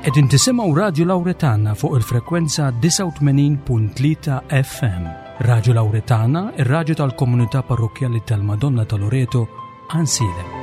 Qegħdin tisimgħu Radju Lawretana fuq il-frekwenza 89.3 FM. Radju Lawretana, ir-radju tal-komunità parrokkjali tal-Madonna ta' Loreto, Ansiedem.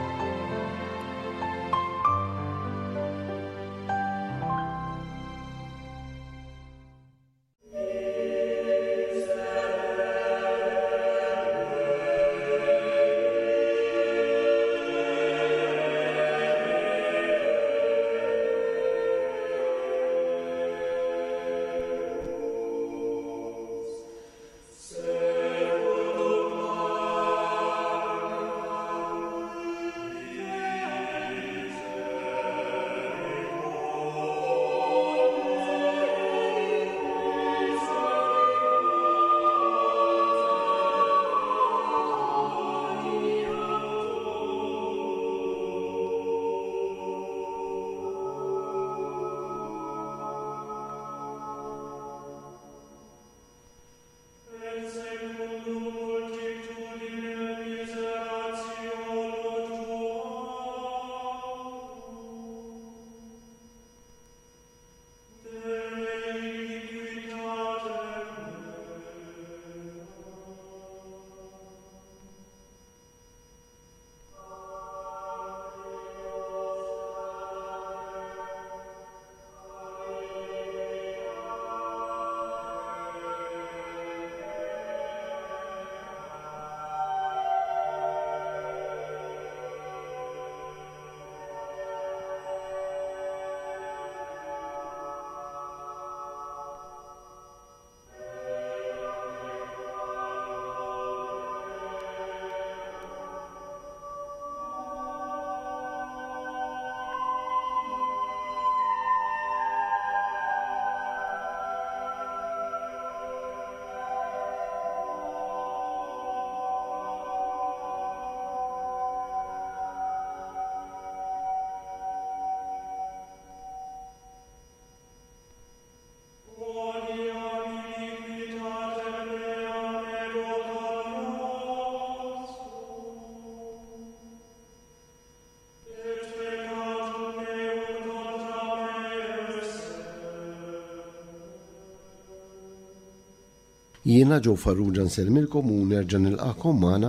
Jiena Joe Farrugia nsellmilkom u nerġa' nilqagħkom magħna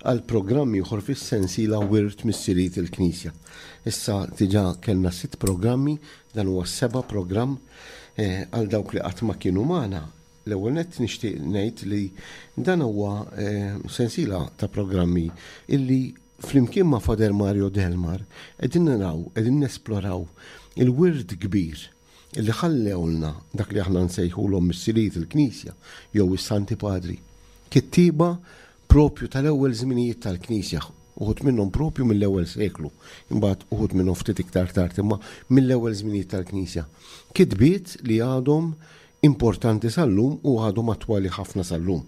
għal programm ieħor fis-sensiela Wirt Missirijiet il-Knisja. Issa diġà kellna sitt programmi, dan huwa s-seba' programm. Eh, għal dawk li qatt ma kienu magħna, l-ewwel nett nixtieq ngħid li dan huwa eh, sensiela ta' programmi illi flimkien ma' Father Mario Delmar qegħdin naraw, qegħdin nesploraw il-wirt kbir li ħallewlna dak li aħna nsejħulhom missirijiet il-Knisja jew is-Santi Padri. Kittieba propju tal-ewwel żminijiet tal-Knisja, uħud minnhom propju mill-ewwel seklu, imbagħad uħud minnhom ftit iktar tard, imma mill-ewwel żminijiet tal-Knisja. Kitbiet li għadhom importanti sal-lum u għadhom attwali ħafna sal-lum.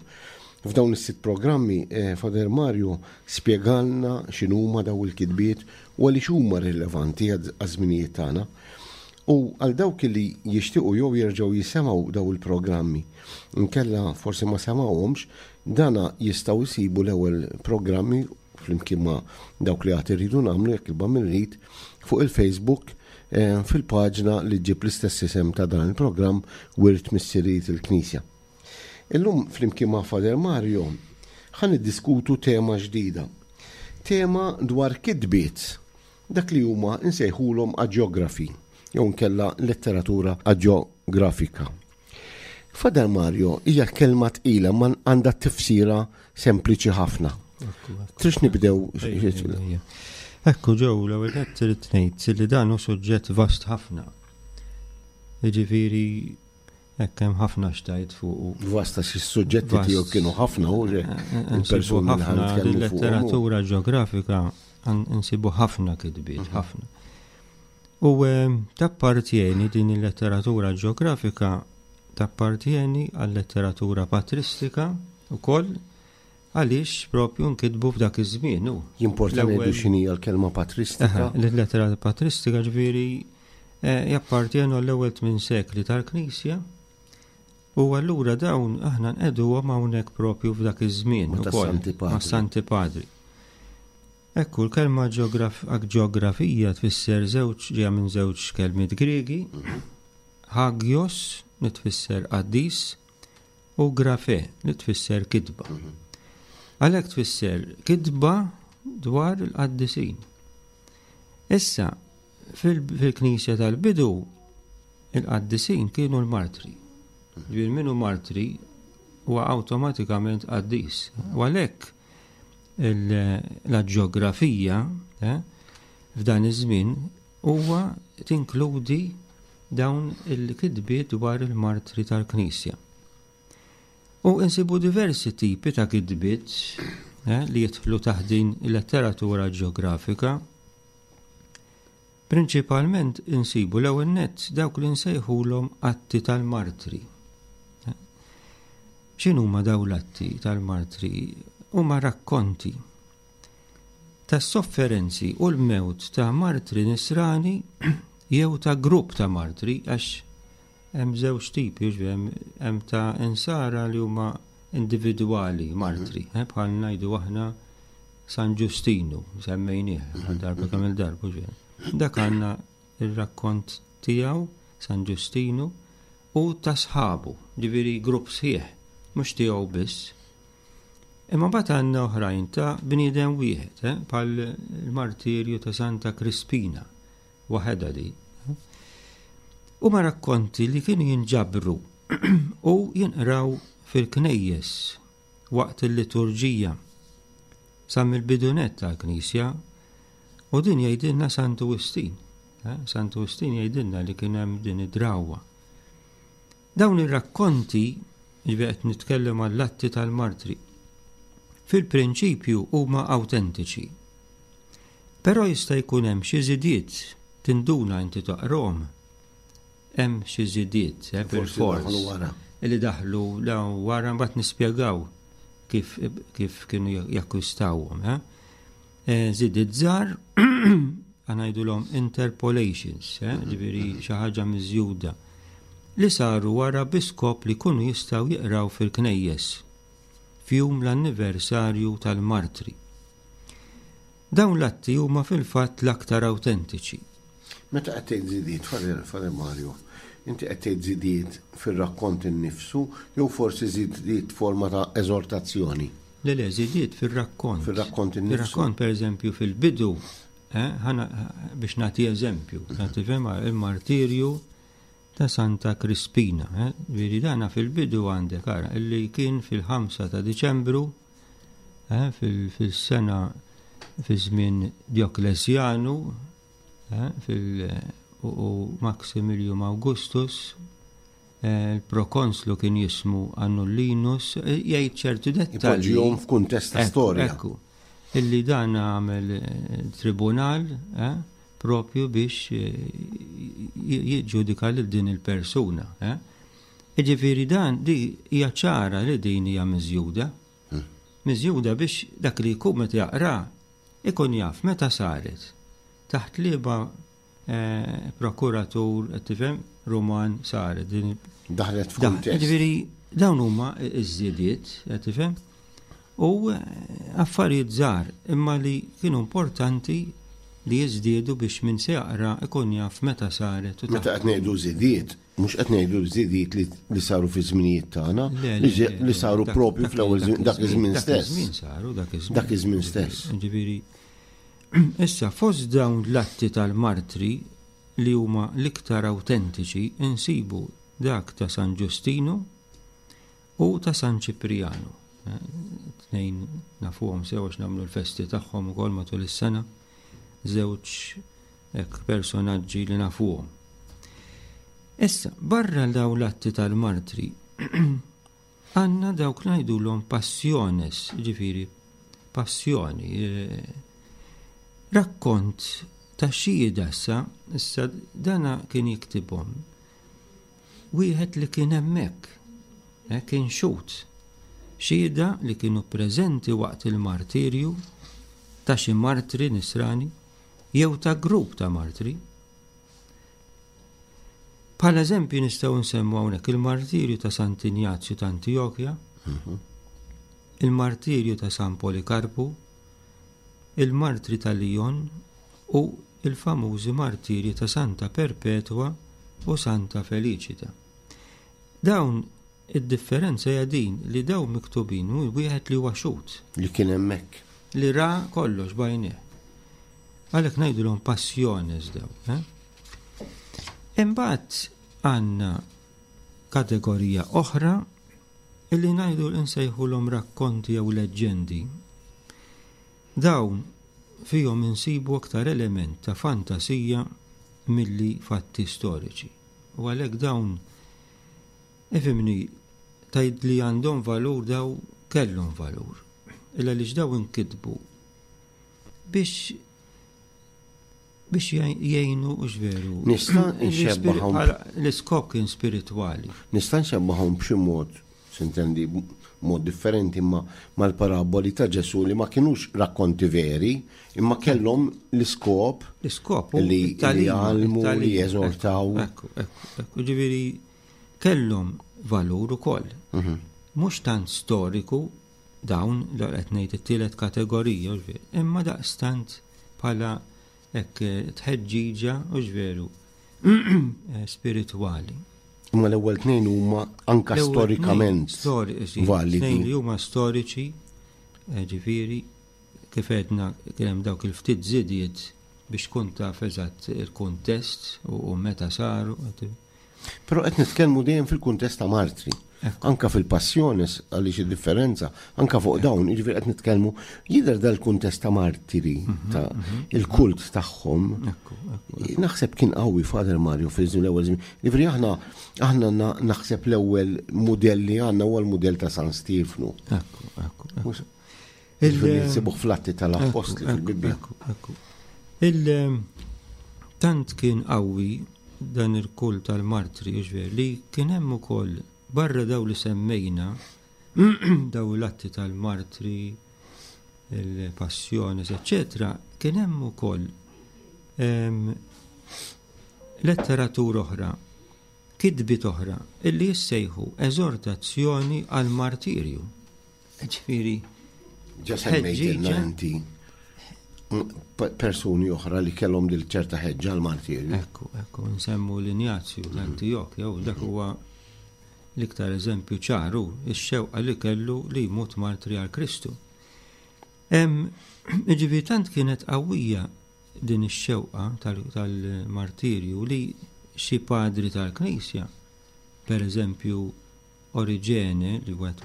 F'dawn is-sitt programmi, eh, Father Mario spjegalna x'inhuma daw il-kitbiet u għaliex huma rilevanti għaż-żminijiet tagħna. U għal dawk li jixtiequ jew jerġgħu jisemgħu daw il-programmi, inkella forsi ma semgħuhomx, dana jistgħu jsibu l-ewwel programmi flimkien ma' dawk li għad irridu nagħmlu jekk il-Bambin irid fuq il-Facebook eh, fil-paġna li ġġib l-istess isem ta' dan il-programm Wirt Missirijiet il-Knisja. Illum flimkien ma' Father Mario ħa niddiskutu tema ġdida. Tema dwar kitbiet dak li huma nsejħulhom aġjografi jew inkella letteratura aġjografika. Father Mario hija kelma tqila ma għandha tifsira sempliċi ħafna. Trix nibdew. Ekku ġew l-ewwel qed trid ngħid li dan hu suġġett vast ħafna. Jiġifieri hekk hemm ħafna xtajt fuq. Vasta xi suġġetti tiegħu kienu ħafna u eh, eh, il-persuni ħafna letteratura ġeografika nsibu ħafna kitbiet, mhm. ħafna. U ehm, tappartjeni din il-letteratura ġeografika tappartjeni għal-letteratura patristika ukoll għaliex propju nkitbu f'dak iż-żmien. Jimporta ngħidu x'inhi l-kelma patristika. Il-letteratura patristika ġifieri eh, jappartjenu għall-ewwel tmien sekli tal-Knisja u allura dawn aħna nqeduhom hawnhekk propju f'dak iż-żmien ukoll ma' Santi Padri. Ekku, l-kelma ġeografija tfisser żewġ ġejja minn żewġ kelmiet Griegi, hagios li tfisser qaddis u grafe li tfisser kitba. Għalhekk tfisser kitba dwar il-qaddisin. Issa, fil-Knisja tal-bidu, il-qaddisin kienu l-martri. Ġifieri min hu martri huwa awtomatikament qaddis. U għalhekk l-ġeografija eh, f'dan iż-żmien huwa tinkludi dawn il-kitbiet dwar il-martri tal-Knisja. U insibu diversi tipi ta' kitbiet eh, li jidħlu taħt din il-letteratura ġeografika. Prinċipalment insibu l-ewwel nett dawk li nsejħulhom atti tal-martri. X'inhuma dawn l-atti tal-martri? Huma rakkonti tas-sofferenzi u l-mewt ta' martri nisrani jew ta' grupp ta' martri għax hemm żewġ tipi, hemm ta' insara li huma individwali martri, eh, bħal ngħidu aħna San Ġustinu, semmejnieh għal darba kemm il-darba ġej. Dak għandna ir-rakkont tiegħu San Ġustinu u ta' sħabu, ġifieri grupp sħiħ, mhux tiegħu biss. Imma mbagħad għandna oħrajn ta' bniedem wieħed, eh, bħal il-martirju ta' Santa Crispina, waħedha di. Eh. Huma rakkonti li kienu jinġabru u jinqraw fil-knejjes waqt il-liturġija sa mill-bidu nett tal-Knisja u din jgħidilna Santu Wistin. Eh, Santu Wistin jgħidilna li kien hemm din id-drawwa. Dawn ir-rakkonti, ġifieri qed nitkellem għall-atti tal-martri, fil-prinċipju huma awtentiċi. Però jista' jkun hemm xi żidiet tinduna inti taqrom Hemm xi żidiet, eh, bilfors. Li daħlu wara mbagħad nispjegaw kif, kif kienu jakkwistawhom. Eh. eh żidiet żgħar ngħidulhom interpolations, eh, ġifieri xi ħaġa miżjuda li saru wara bi skop li jkunu jistgħu jiqraw fil-knejjes f'jum l-anniversarju tal-martri. Dawn l-atti huma fil-fatt l-aktar awtentiċi. Meta qed tgħid żidiet, Father Mario, inti qed tgħid żidiet fir-rakkont innifsu jew forsi żidiet forma ta' eżortazzjoni? Le, le, żidiet fir-rakkont. Fir-rakkont innifsu. Fir-rakkont, pereżempju, fil-bidu, eh, biex nagħti eżempju, nagħti fema il-martirju ta' Santa Crispina. Eh, Veri dana fil-bidu għandek ara, illi kien fil-5 ta' Diċembru eh, fil-sena fi żmien Djoklesjanu eh, fil u Maximilium Augustus, eh, il-prokonslu kien jismu Annullinus, jgħid ċertu dettalji. Ipoġġihom f'kuntest ta' storja. Ekku, illi dan għamel tribunal propju biex jiġġudika lil din il-persuna. Jiġifieri dan di hija ċara li din hija miżjuda. Miżjuda biex dak li jkun meta jaqra ikun jaf meta saret, taħt liema eh, prokuratur, qed tifhem, Ruman saret din. Daħlet f'kuntest. Jiġifieri dawn huma ż-żidiet, qed tifhem? U eh, affarijiet żgħar imma li kienu importanti li jiżdiedu biex min se jaqra ikun jaf meta saret. Meta qed ngħidu żidiet, Mhux qed ngħidu żidiet li saru fi żminijiet tagħna, li saru propju fl-ewwel dak iż-żmien stess. Dak iż-żmien saru, dak iż-żmien. Dak iż-żmien stess. Ġifieri, issa fost dawn l-atti tal-martri li huma l-iktar awtentiċi insibu dak ta' San Ġustinu u ta' San Ċiprijanu. Tnejn nafuhom sew għax nagħmlu l-festi tagħhom ukoll matul is-sena. Żewġ Hekk personaġġi li nafuhom. Issa, barra daw l-atti tal-martri, għandna dawk ngħidulhom passiones, ġifieri passjoni, eh, rakkont ta' xhieda issa, issa dana kien jiktibhom wieħed li kien hemmhekk, eh, kien xhud, xhieda li kienu preżenti waqt il-martirju ta' xi martri nisrani jew ta' grupp ta' martri. Bħala eżempju nistgħu nsemmu hawnhekk il-martirju ta' Sant'Injazju ta' Antijokja, mhm. il-martirju ta' San Polikarpu, Il-Martri ta' Lyon u l-famużi martirji ta' Santa Perpetwa u Santa Felicita. Dawn id-differenza hija din li dawn miktubin minn wieħed li huwa xhud. Li kien hemmhekk. Li ra kollox b'għajnejh. Għalhekk ngħidulhom passiones dawn. Eh? Imbagħad għandna kategorija oħra illi ngħidu nsejħulhom rakkonti jew leġġendi. Dawn fihom insibu aktar element ta' fantasija milli fatti storiċi. U għalhekk dawn ifhimni tgħid li għandhom valur daw kellhom valur. Illa għaliex daw inkitbu biex biex jgħinu u veru. Nista' nxebbahom. L-iskop kien spiritwali. Nista' nxebbahom b'xi mod, sintendi, mod differenti imma mal-paraboli ta' Ġesù li ma kinux rakkonti veri, imma kellhom l-iskop l-iskop li jgħallmu, li jeżortaw. Ekku, ekku, ekku, ġifieri kellhom valur ukoll. Mhm. Mhux tant storiku dawn li qed ngħid it-tielet kategorija, imma daqstant bħala hekk tħeġġiġa u veru spiritwali. Imma l-ewwel tnejn huma anka storikament validi. Tnejn li huma storiċi, eh, ġifieri, kif għedna kien hemm dawk il-ftit żidiet biex tkun taf eżatt il-kuntest u meta saru. Però qed nitkellmu dejjem fil-kuntest ta' martri. Anka fil-passjones għaliex id-differenza, anka fuq dawn, jiġifieri qed nitkellmu jidher dal-kuntest ta' martiri, mhm, ta' mhm. il-kult tagħhom. Naħseb kien qawwi Father Mario fil-żmien l-ewwel żmien. Jiġifieri aħna aħna naħseb l-ewwel mudell li għandna huwa l-mudell ta' San Stiefnu. Ekku, ekku. Nsibuh fl-Atti tal-Appostli fil-Bibbja. Il-tant kien qawwi dan il-kult tal-martri, li kien hemm ukoll barra daw li semmejna daw l-atti tal-martri, il-passjoni, eccetera, kien hemm ukoll ehm, letteratura oħra, kitbiet oħra, illi jissejħu eżortazzjoni għal-martirju. Ġifieri. Ġa semmejtilna inti persuni oħra li kellhom dil ċerta ħeġġa l-martirju. Ekku, ekku, nsemmu l-Injazju l-Antijok, jew dak huwa l-iktar eżempju ċaru, ix-xewqa li kellu li jmut martri għal Kristu. Ġifieri tant kienet qawwija din ix-xewqa tal-martirju li xi padri tal-Knisja, per eżempju Oriġene, li wieħed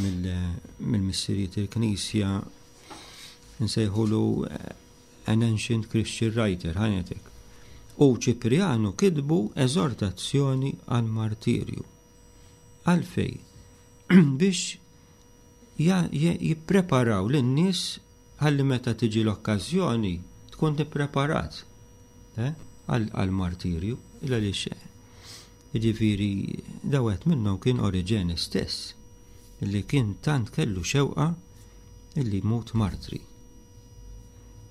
mill-missirijiet il-Knisja, nsejħulu eh, an ancient Christian writer, ħanetek. U Ċiprianu kitbu eżortazzjoni għal martirju. Għalfej, biex jippreparaw lin-nies ħalli meta tiġi l-okkażjoni tkun ippreparat eh, għal-martirju, għaliex Jiġifieri da wieħed minnhom kien Oriġene stess, li kien tant kellu xewqa illi jmut martri.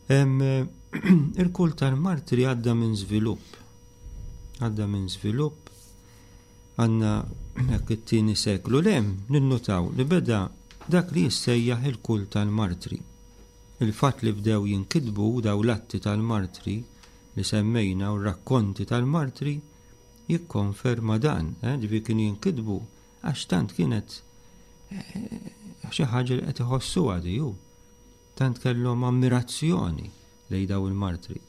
Il-kult tal-martri għadda minn żvilupp. Għadda minn żvilupp għandna hekk it-tieni seklu lem ninnutaw li beda dak li jissejjaħ il-kult tal-martri. Il-fatt li bdew jinkitbu daw l-atti tal-martri li semmejna u r-rakkonti tal-martri jikkonferma dan, eh, ġifieri kienu jinkitbu għax tant kienet eh, xi ħaġa li qed iħossuha di hu. Tant kellhom ammirazzjoni lejn daw il-martri.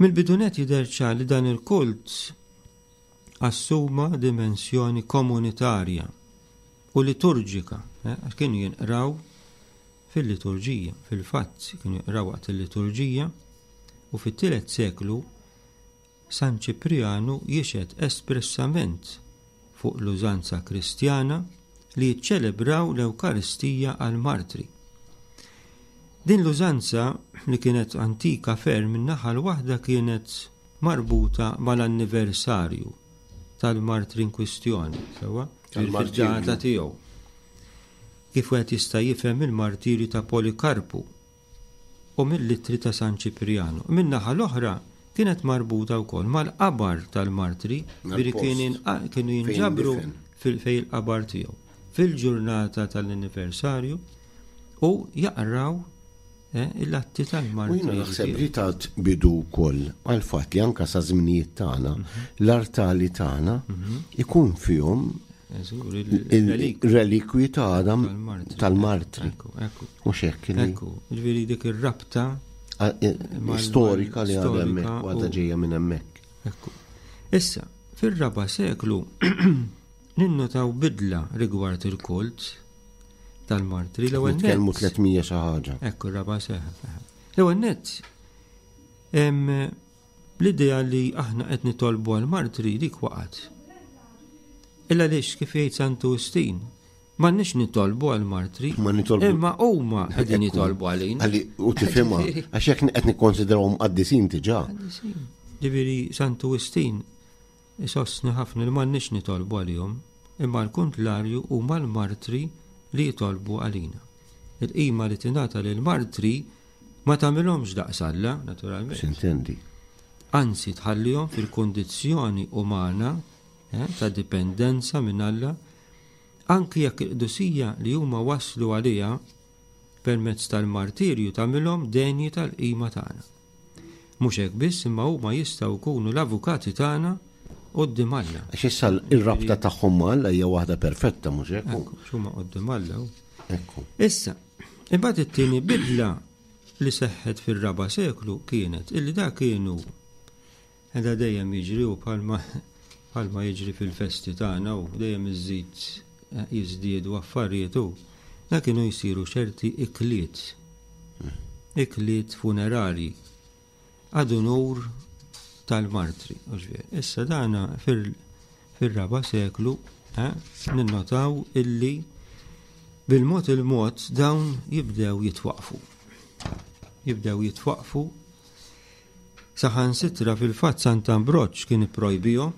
Mill-bidunet jidher ċar li dan il-kult assuma dimensjoni komunitarja u liturġika, eh, għax kienu jinqraw fil-liturġija, fil-fatt kienu jinqraw waqt il-liturġija u fit-tielet seklu San Ċiprijanu jixhed espressament fuq l-użanza Kristjana li jiċċelebraw l-Ewkaristija għall-martri. Din l-użanza, li kienet antika ferm, min-naħa l-waħda kienet marbuta mal-anniversarju tal-martri inkwistjoni, sewwa, fid-data tiegħu. Kif wieħed jista' jifhem il-martirju ta' Polikarpu, u mill-ittri ta' San Ċiprianu. Min-naħa l-oħra kienet marbuta wkoll mal-qabar tal-martri, ġifieri kienu jinġabru fejn il-qabar tiegħu fil-ġurnata tal-anniversarju. U jaqraw eh, l-atti tal-martri. U jiena naħseb li tat bidu wkoll għall-fatt li anka sa żminijiet tagħna mhm. l-artali tagħna mhm. ikun fihom il-relikwi ta' Adam tal-martri. Mhux hekk li. Ekku, ġifieri dik ir-rabta eh, storika li għadha hemmhekk u għadha ġejja minn hemmhekk. Ekku. Issa, fir-raba' seklu ninnotaw bidla rigward il-kult tal-martri. L-ewwel nett. Nitkellmu 300 xi ħaġa. Ekku r-raba' seklu. L-ewwel nett l-idea li aħna qed nitolbu għall-martri dik waqgħet. Illa għaliex kif jgħid Santu Wistin, M'għandniex nitolbu għall-martri. Ma nitolbu. Imma huma qegħdin jitolbu għalina. Għalli u tifhimha għax hekk qed nikkonsidrawhom qaddisin diġà. Qaddisin. Ġifieri Santu Wistin isostni ħafna li m'għandniex nitolbu għalihom, imma l-kuntlarju huma l-martri li jitolbu għalina. Il-qima li tingħata lill-martri ma tagħmilhomx daqs Alla, naturalment. Sintendi. Anzi tħallihom fil-kundizzjoni umana eh, ta' dipendenza minn Alla Anki jekk il-qdusija li huma waslu għaliha permezz tal-martirju tagħmilhom denji tal-qima tagħna. Mhux hekk biss imma huma jistgħu jkunu l-avukati tagħna quddiem Alla. Għax issa r-rabta tagħhom ma' Alla hija waħda perfetta, mhux hekk? Ekku, huma quddiem Alla. Ekku. Issa, imbagħad it-tieni bidla li seħħet fir-raba' seklu kienet illi da kienu Da dejjem jiġri u bħalma bħalma jiġri fil-festi tagħna u dejjem iżżid jiżdiedu affarijiet u da kienu jsiru ċerti ikliet. Ikliet funerarji ad unur tal-martri. Issa dana fir-raba' seklu eh, ninnotaw illi bil-mod il-mod dawn jibdew jitwaqfu. Jibdew jitwaqfu Saħansitra fil-fatt Sant'Ambroġ kien ipprojbihom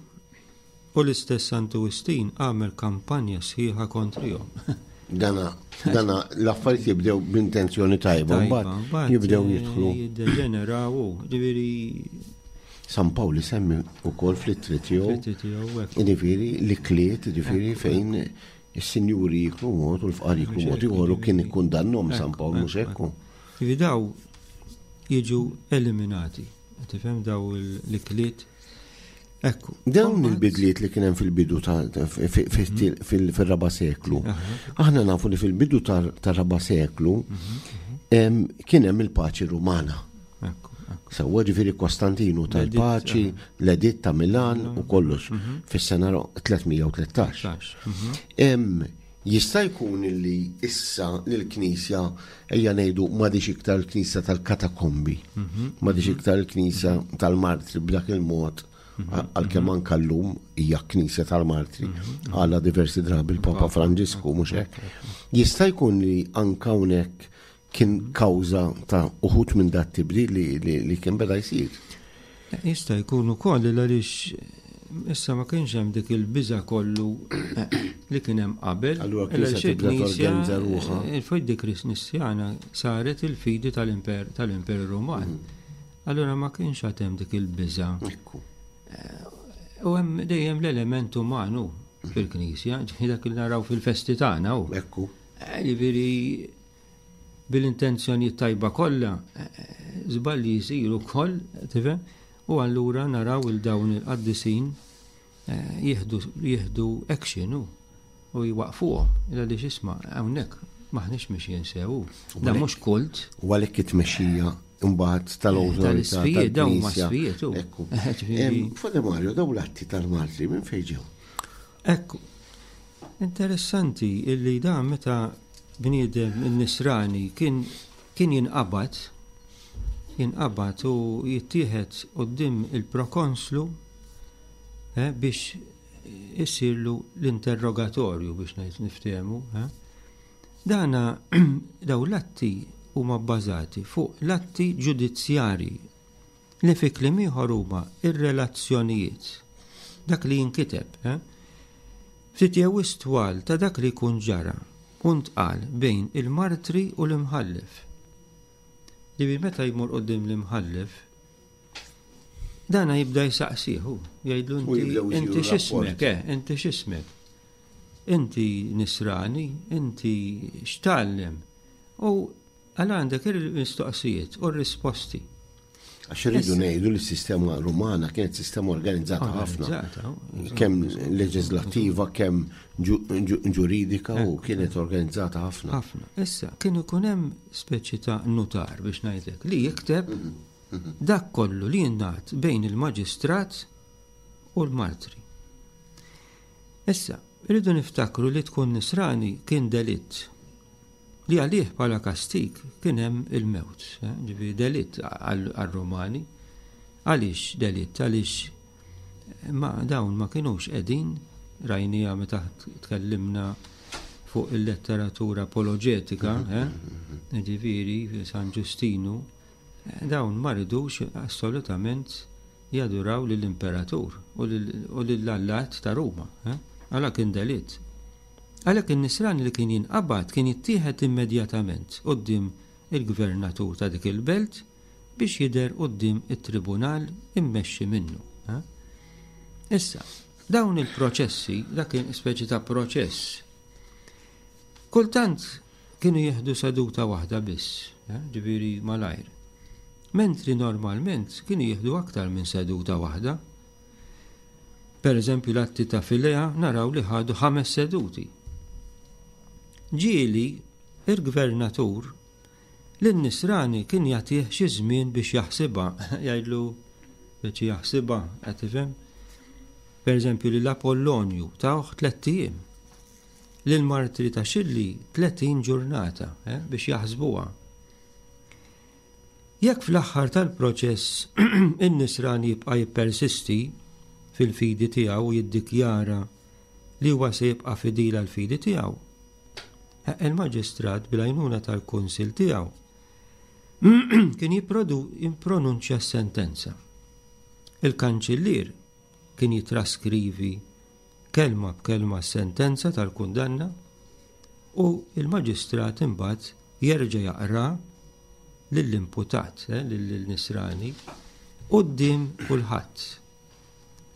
u l-istess Santu Wistin għamel kampanja sħiħa kontrihom. Dana, dana l-affarijiet jibdew b'intenzjoni tajba, mbagħad jibdew eh, jidħlu. Jiddeġeneraw, ġifieri San Pawl isemmi wkoll fl-ittri tiegħu. Jiġifieri l-ikliet, jiġifieri fejn is-sinjuri jiklu mod u l-fqar jiklu mod ieħor u kien ikkundannhom San Pawl mhux hekk. Jiġifieri daw jiġu eliminati. Tifhem daw l-ikliet. Ekku. Dawn il-bidliet li kien hemm fil-bidu fil-raba seklu. Aħna nafu li fil-bidu tar-raba seklu mhm. kien hemm il-paċi Rumana. Sewwa ġifieri Kostantinu tal-paċi, l-editt ta' Milan u kollox mhm. fis-sena 313. Mhm. Jista' jkun li issa li l-Knisja, ejja ngħidu, m'għadhiex iktar il-Knisja tal-katakombi, m'għadhiex iktar il-Knisja tal-martri b'dak il-mod, għalkemm anke llum hija Knisja tal-martri, għala diversi drabi l-Papa Franġisku mhux hekk. Jista' jkun li anke hawnhekk kien kawża ta' uħud minn dat tibdil li, li, kien beda jsir. Jista' jkun ukoll għaliex issa ma kienx hemm dik il-biża kollu eh, li kien hemm qabel. Allura knisja tibda torganizza ruħha. Eh, il-fidi Kristjana saret il-fidi tal-Imper tal-Imper Ruman. Mm. Allura ma kienx għad hemm dik il-biża. Eh, u hemm dejjem l-element umanu fil-knisja, dak li naraw fil-festi tagħna. Ekku. Ġifieri bil-intenzjonijiet tajba kollha, żbalji jsiru wkoll, tifhem? U allura naraw il dawn il-qaddisin eh, jieħdu jieħdu action u u jwaqfuhom. Għaliex isma' hawnhekk maħniex mixjin sew. Da mhux kult. U għalhekk it-tmexxija imbagħad tal-awtorità. Tal-isfijiet, dawn ma sfijiet. Ekku. Fode Mario, dawn l-atti tal-martri minn fejn ġew? Ekku. Interessanti illi dan meta bniedem nisrani kien kien jinqabad jinqabad u jittieħed quddiem il-prokonslu eh, biex issirlu l-interrogatorju biex ngħid niftehmu. Eh. Dana daw l-atti huma bbażati fuq l-atti ġudizzjarji li fi kliem ieħor huma r-relazzjonijiet, dak li jinkiteb, eh? Ftit jew wisq twal ta' dak li jkun ġara u ntqal bejn il-martri u l-imħallef. Ġifieri meta jmur quddiem l-imħallef, dana jibda jsaqsih hu, jgħidlu inti inti x'ismek, eh, inti x'ismek. Inti nisrani, inti x'tgħallem? U għal għandek il-mistoqsijiet u r-risposti. Għax irridu ngħidu li s-sistema Rumana kienet sistema organizzata ħafna. Kemm leġislattiva, kemm ġuridika u kienet organizzata ħafna. Ħafna. Issa, kien ikun hemm speċi ta' nutar biex ngħidlek li jikteb mhm, mhm. dak kollu li jingħad bejn il-maġistrat u l-martri. Issa, irridu niftakru li tkun nisrani kien delitt li għalih bħala kastig kien hemm il-mewt, eh, ġifieri delitt għar-Rumani. Għaliex delitt? Għaliex ma dawn ma kinux qegħdin rajnija meta tkellimna fuq il-letteratura apoloġetika, mhm, eh, mhm, mhm. ġifieri San Ġustinu, eh, dawn ma ridux assolutament jaduraw lill-imperatur u lill-allat ta' Ruma. Eh? Għala kien delitt. Għalhekk in-Nisrani li kien jinqabad kien jittieħed immedjatament quddiem il-gvernatur ta' dik il-belt biex jidher quddiem it-tribunal immexxi minnu. Eh? Issa, dawn il-proċessi, dak kien speċi ta' proċess, kultant kienu jieħdu seduta waħda biss, eh, ġifieri malajr. Mentri normalment kienu jieħdu aktar minn seduta waħda. Per eżempju l-atti ta' Filea naraw li ħadu ħames seduti. Ġieli il-gvernatur lin-nisrani kien jagħtih xi żmien biex jaħsibha, jgħidlu biex jaħsibha, qed tifhem? Per eżempju lil Apollonju tawh tlett ijiem. Lil martri ta' Xilli 30 ġurnata eh, biex jaħsbuha. Jekk fl-aħħar tal-proċess in-Nisrani jibqa' jippersisti fil-fidi tiegħu u jiddikjara li huwa se jibqa' fidil għall-fidi tiegħu, il-maġistrat bil-għajnuna tal-kunsill tiegħu kien jippronunċja s-sentenza. Il-kanċillier kien jittraskrivi kelma b'kelma s-sentenza tal-kundanna u l-maġistrat imbagħad jerġa' jaqra lill-imputat, eh, lill-Nisrani, quddiem kulħadd.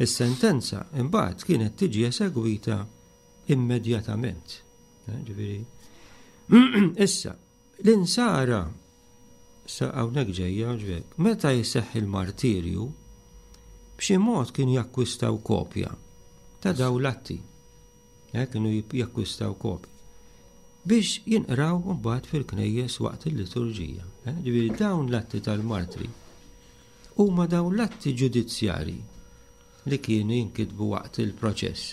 Is-sentenza imbagħad kienet tiġi esegwita immedjatament. Eh, ġifieri, issa, l-insara sa hawnhekk ġejja ġvek, meta jseħħ il-martirju, b'xi mod kienu jakkwistaw kopja ta' daw l-atti. Eh, kienu jakkwistaw kopja biex jinqraw mbagħad fil-knejjes waqt il-liturġija. Eh, ġifieri dawn l-atti tal-martri huma dawn l-atti ġudizzjarji li kienu jinkitbu waqt il-proċess.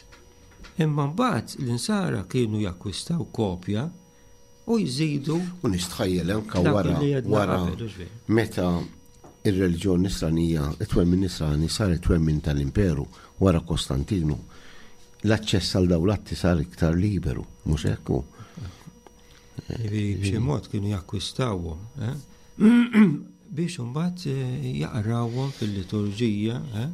Imma mbagħad l-insara kienu jakkwistaw kopja u jżidu. U nistħajjel anka wara wara meta ir-reliġjon nisranija, it-twemmin nisrani sar it-twemmin tal-imperu wara Kostantinu. L-aċċess għal dawn l-atti sar iktar liberu, mhux hekk hu. B'xi mod kienu jakkwistawhom, eh? biex imbagħad eh, jaqrawhom fil-liturġija, eh?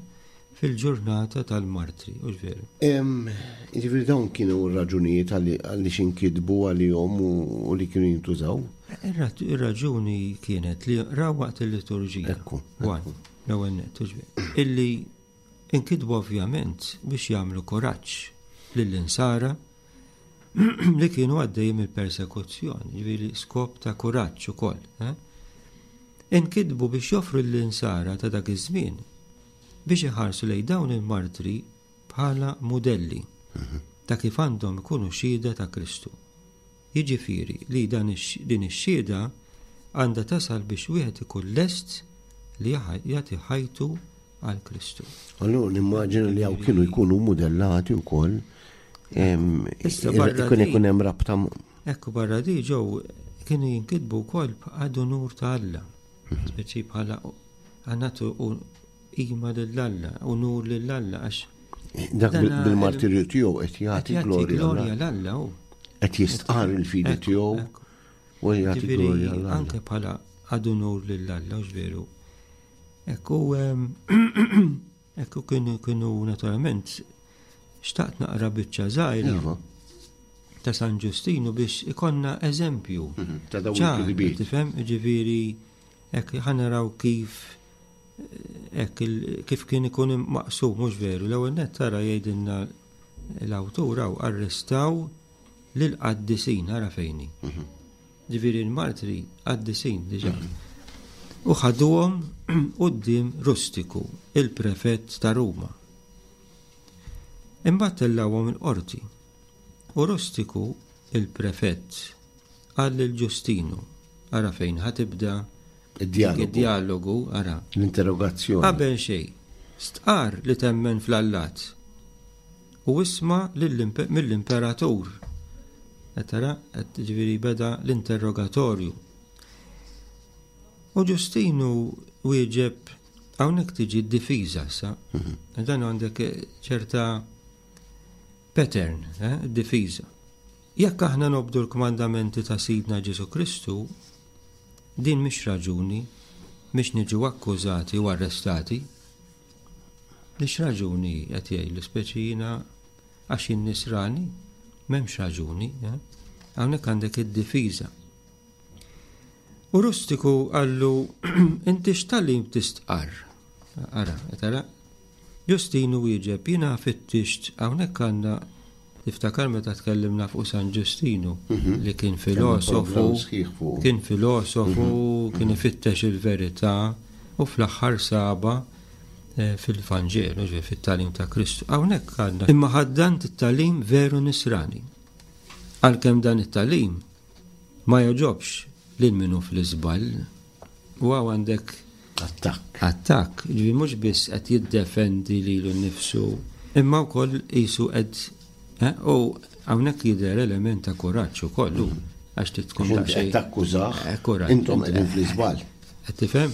fil-ġurnata tal-martri, hux veru? Jiġifieri dawn kienu r-raġunijiet għaliex inkitbu għalihom u li kienu jintużaw? Ir-raġuni kienet li raw waqt il-liturġija. Ekku. L-ewwel nett, hux veru? Illi inkitbu ovvjament biex jagħmlu kuraġġ lill-insara li kienu għaddejjin mill-persekuzzjoni, ġifieri skop ta' kuraġġ ukoll. Eh? Inkitbu biex joffru l-insara ta' dak iż-żmien biex iħarsu lejn dawn il-martri bħala mudelli ta' kif għandhom ikunu xhieda ta' Kristu. Jiġifieri li dan din ix-xhieda għandha tasal biex wieħed ikun lest li jagħti ħajtu għal Kristu. Allura nimmaġina li hawn kienu jkunu mudellati wkoll ikun ikun hemm rabta. Ekku barra di ġew kienu jinkitbu wkoll bħal unur ta' Alla. Mhm. Speċi bħala għanatu u qima lil Alla, unur lil Alla għax Dak bil-martirju tiegħu qed jagħti glorja l Alla hu. Qed jistqar il-fidi tiegħu u jagħti glorja l Alla. Anke bħala għad unur lil Alla, veru. Ekku ekku kienu kienu naturalment xtaqt naqra biċċa żgħira. Iva. Ta' San Ġustinu biex ikonna eżempju. Mhm, ta' dawn il-kitbiet. Tifhem, ġifieri hekk ħa naraw kif hekk kif kien ikun maqsum mhux veru. L-ewwel nett tara jgħidilna l-awtur hawn arrestaw lill-qaddisin ara fejni. Mhm. Ġifieri l-martri qaddisin diġà. U ħaduhom quddiem Rustiku, il-prefett ta' Ruma. Imbagħad tellgħuhom il-qorti. U Rustiku, il-prefett, qal lil Ġustinu, ara fejn ħa tibda Id-djalogu. Ara. L-interrogazzjoni. Qabel xejn, stqarr li temmen fl-allat u isma' mill-imperatur. Qed tara, qed ġifieri beda l-interrogatorju. U Ġustinu wieġeb hawnhekk tiġi d-difiża issa. Mhm. Dan għandek ċerta pattern, eh, difiża. Jekk aħna nobdu l-kmandamenti ta' Sidna Ġesù Kristu, din mhix raġuni biex niġu akkużati u arrestati. Mhix raġuni qed jgħidlu speċi jiena għax jien nisrani, m'hemmx raġuni. Eh? Hawnhekk għandek id-difiża. U Rustiku qallu inti x'talim tistqarr? Ara, tara, Ġustinu wieġeb, jiena fittixt hawnhekk għandna tiftakar meta tkellimna fuq San Ġustinu mhm. li kien filosofu, kien filosofu, mhm. kien ifittex il-verità u fl-aħħar saba eh, fil-Vanġelu, ġifieri fit-tagħlim ta' Kristu. Hawnhekk għandna imma ħaddant it-tagħlim veru nisrani. Għalkemm dan it-tagħlim ma jogħġobx lil min hu fl-iżball. U hawn għandek Attakk. Attakk, ġifieri mhux biss qed jiddefendi lilu nnifsu, imma wkoll qisu qed eh, u hawnhekk jidher element ta' kuraġġ ukoll hu għax trid tkun daqsxejn. Takkużah, eh, intom qegħdin fl-iżball. Qed tifhem?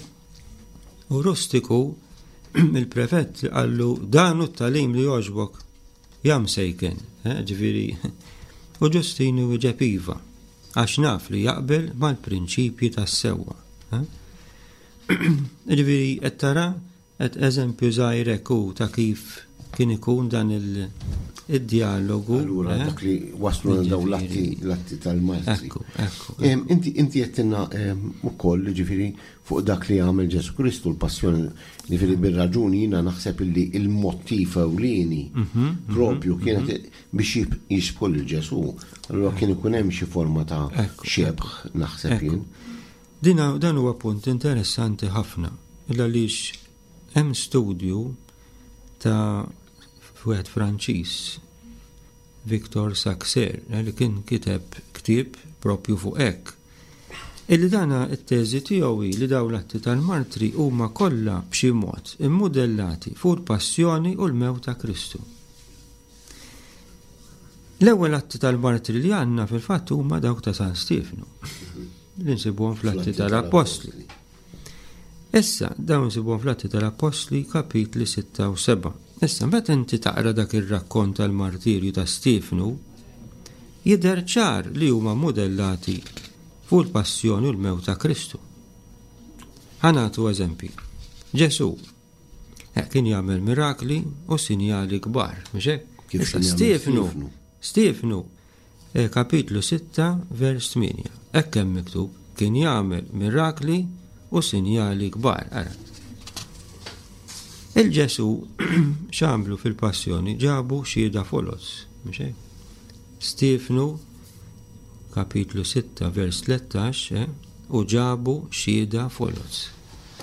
U Rustiku il-prefett qallu dan hu t-tagħlim li jogħġbok Ja msejken, eh, ġifieri, u Ġustinu wieġeb iva, għax naf li jaqbel mal-prinċipji tas-sewwa. Eh? Ġifieri qed tara qed eżempju żgħir hekk hu ta' kif kien ikun dan il-dialogu. Allura eh? dak li waslu għal daw l-atti l-atti tal-Malti. Ekku, ekku. Inti inti qed ukoll ġifieri fuq dak li għamel Ġesù Kristu, l-passjoni, jiġifieri bir-raġuni jiena naħseb illi il-mottiv ewlieni propju kienet biex jixbħu lil Ġesù. Allura kien ikun hemm xi forma ta' xebh naħseb jien. Din dan huwa punt interessanti ħafna, għaliex hemm studju ta' wieħed Franċiż Victor Saxer, li kien kiteb ktieb propju fuq hekk. Illi dana t-teżi tiegħu hi li dawn l-atti tal-martri huma kollha b'xi mod immudellati fuq il-passjoni u l-mewt ta' Kristu. L-ewwel atti tal-martri li għandna fil-fatt huma dawk ta' San Stiefnu, li nsibuhom fl-Atti tal-Appostli. Issa, dawn insibuhom fl-Atti tal-Appostli kapitli 6 u 7. Issa, meta inti taqra dak ir-rakkont tal-martirju ta' Stiefnu, jidher ċar li huma mudellati fuq il-passjoni u l-mewt ta' Kristu. Ħa nagħtu eżempji. Ġesù eh, kien jagħmel mirakli u sinjali kbar, mhux hekk? Issa Stiefnu, Stiefnu Kapitlu 6, vers 8. Hekk hemm miktub, kien jagħmel mirakli u sinjali kbar. Ara. Il-Ġesu x'għamlu fil-passjoni ġabu xhieda foloz, mhux hekk? Stiefnu kapitlu 6 vers 13 eh, u ġabu xhieda foloz.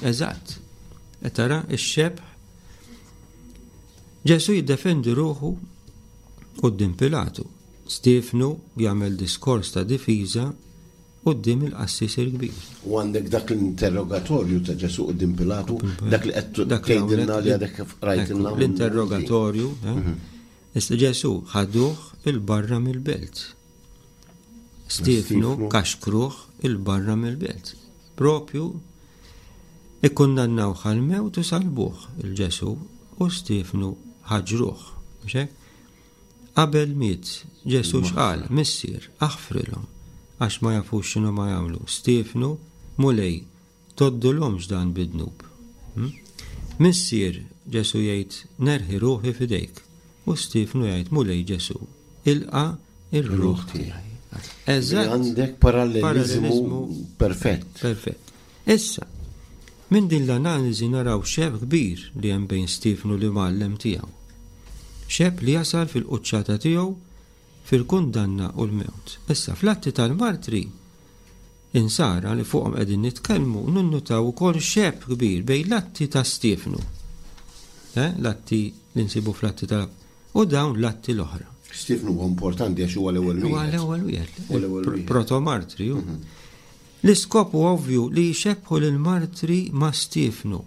Eżatt. E tara x-xebh Ġesu jiddefendi ruħu quddiem Pilatu. Stiefnu jagħmel diskors ta' difiża quddiem il-qassis il-kbir. U għandek dak l-interrogatorju ta' Ġesù quddiem Pilatu, dak li qed tgħidilna li għadek kif qrajtilna. L-interrogatorju, eh? Mhm. Issa Ġesù ħaduh il-barra mill-belt. Stiefnu kaxkruh il-barra mill-belt. Propju ikkundannawh għall-mewt u salbuh il-Ġesù u Stiefnu ħaġruh. Qabel miet, Ġesù x'qal? Missier, aħfrilhom, għax ma jafux x'inhuma jagħmlu. Stiefnu, Mulej, tgħoddulhomx dan bi dnub. Hm? Missier, Ġesù jgħid, nerħi ruħi f'idejk. U Stiefnu jgħid, Mulej Ġesù, ilqa' ir-ruħ tiegħi. Eżatt. Għandek paralleliżmu perfett. Perfett. Issa, minn din l-analiżi naraw xebh kbir li hemm bejn Stiefnu l-imgħallem tiegħu. Xebh li jasal fil-quċċata tiegħu fil-kundanna u l-mewt. Issa, fl-Atti tal-Martri, Insara li fuqhom qegħdin nitkellmu ninnutaw ukoll xebh kbir bejn l-atti ta' Stiefnu, eh, l-atti li nsibu fl-atti ta' u dawn l-atti l-oħra. Stiefnu huwa importanti għax huwa l-ewwel wieħed. Huwa l-ewwel wieħed. Protomartri. Mhm. L-iskop huwa ovvju li jxebbħu lill-martri ma' Stiefnu,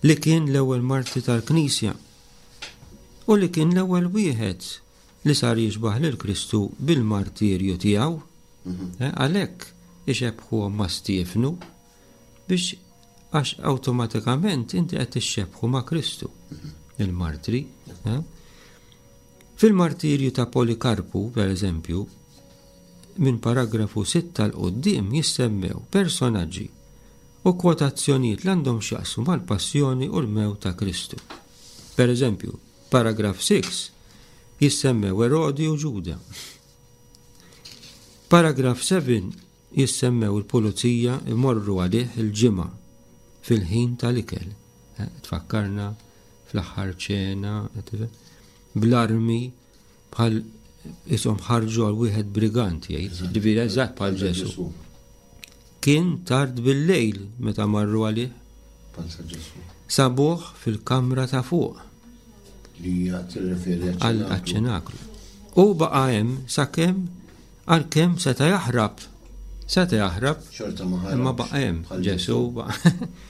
li kien l-ewwel martri tal-Knisja u li kien l-ewwel wieħed li sar jixbah lil Kristu bil-martirju tiegħu. Mhm. Eh, għalhekk ixebbħuhom ma' Stiefnu biex għax awtomatikament inti qed tixxebbħu ma' Kristu, mhm. il-martri. Eh? Fil-martirju ta' Polikarpu, per eżempju, minn paragrafu 6 'l quddiem jissemmew personaġġi u kwotazzjonijiet li għandhom x'jaqsmu mal-passjoni u l-mewt ta' Kristu. Per eżempju, paragraf 6 jissemmew Erodi u Ġuda. Paragraf 7 jissemmew il-pulizija imorru għalih il-ġimgħa fil-ħin tal-ikel. Eh, tfakkarna fl-aħħar ċena, bl-armi bħal isom ħarġu għal wieħed brigant jgħid, ġifieri eżatt bħal Ġesu. Kien tard bil-lejl meta marru għalih. Sabuh fil-kamra ta' fuq. Li hija tirreferi għal ċenaklu. U baqa' hemm sakemm għalkemm seta' jaħrab. Seta' jaħrab. Imma baqa' hemm Ġesu baqa'.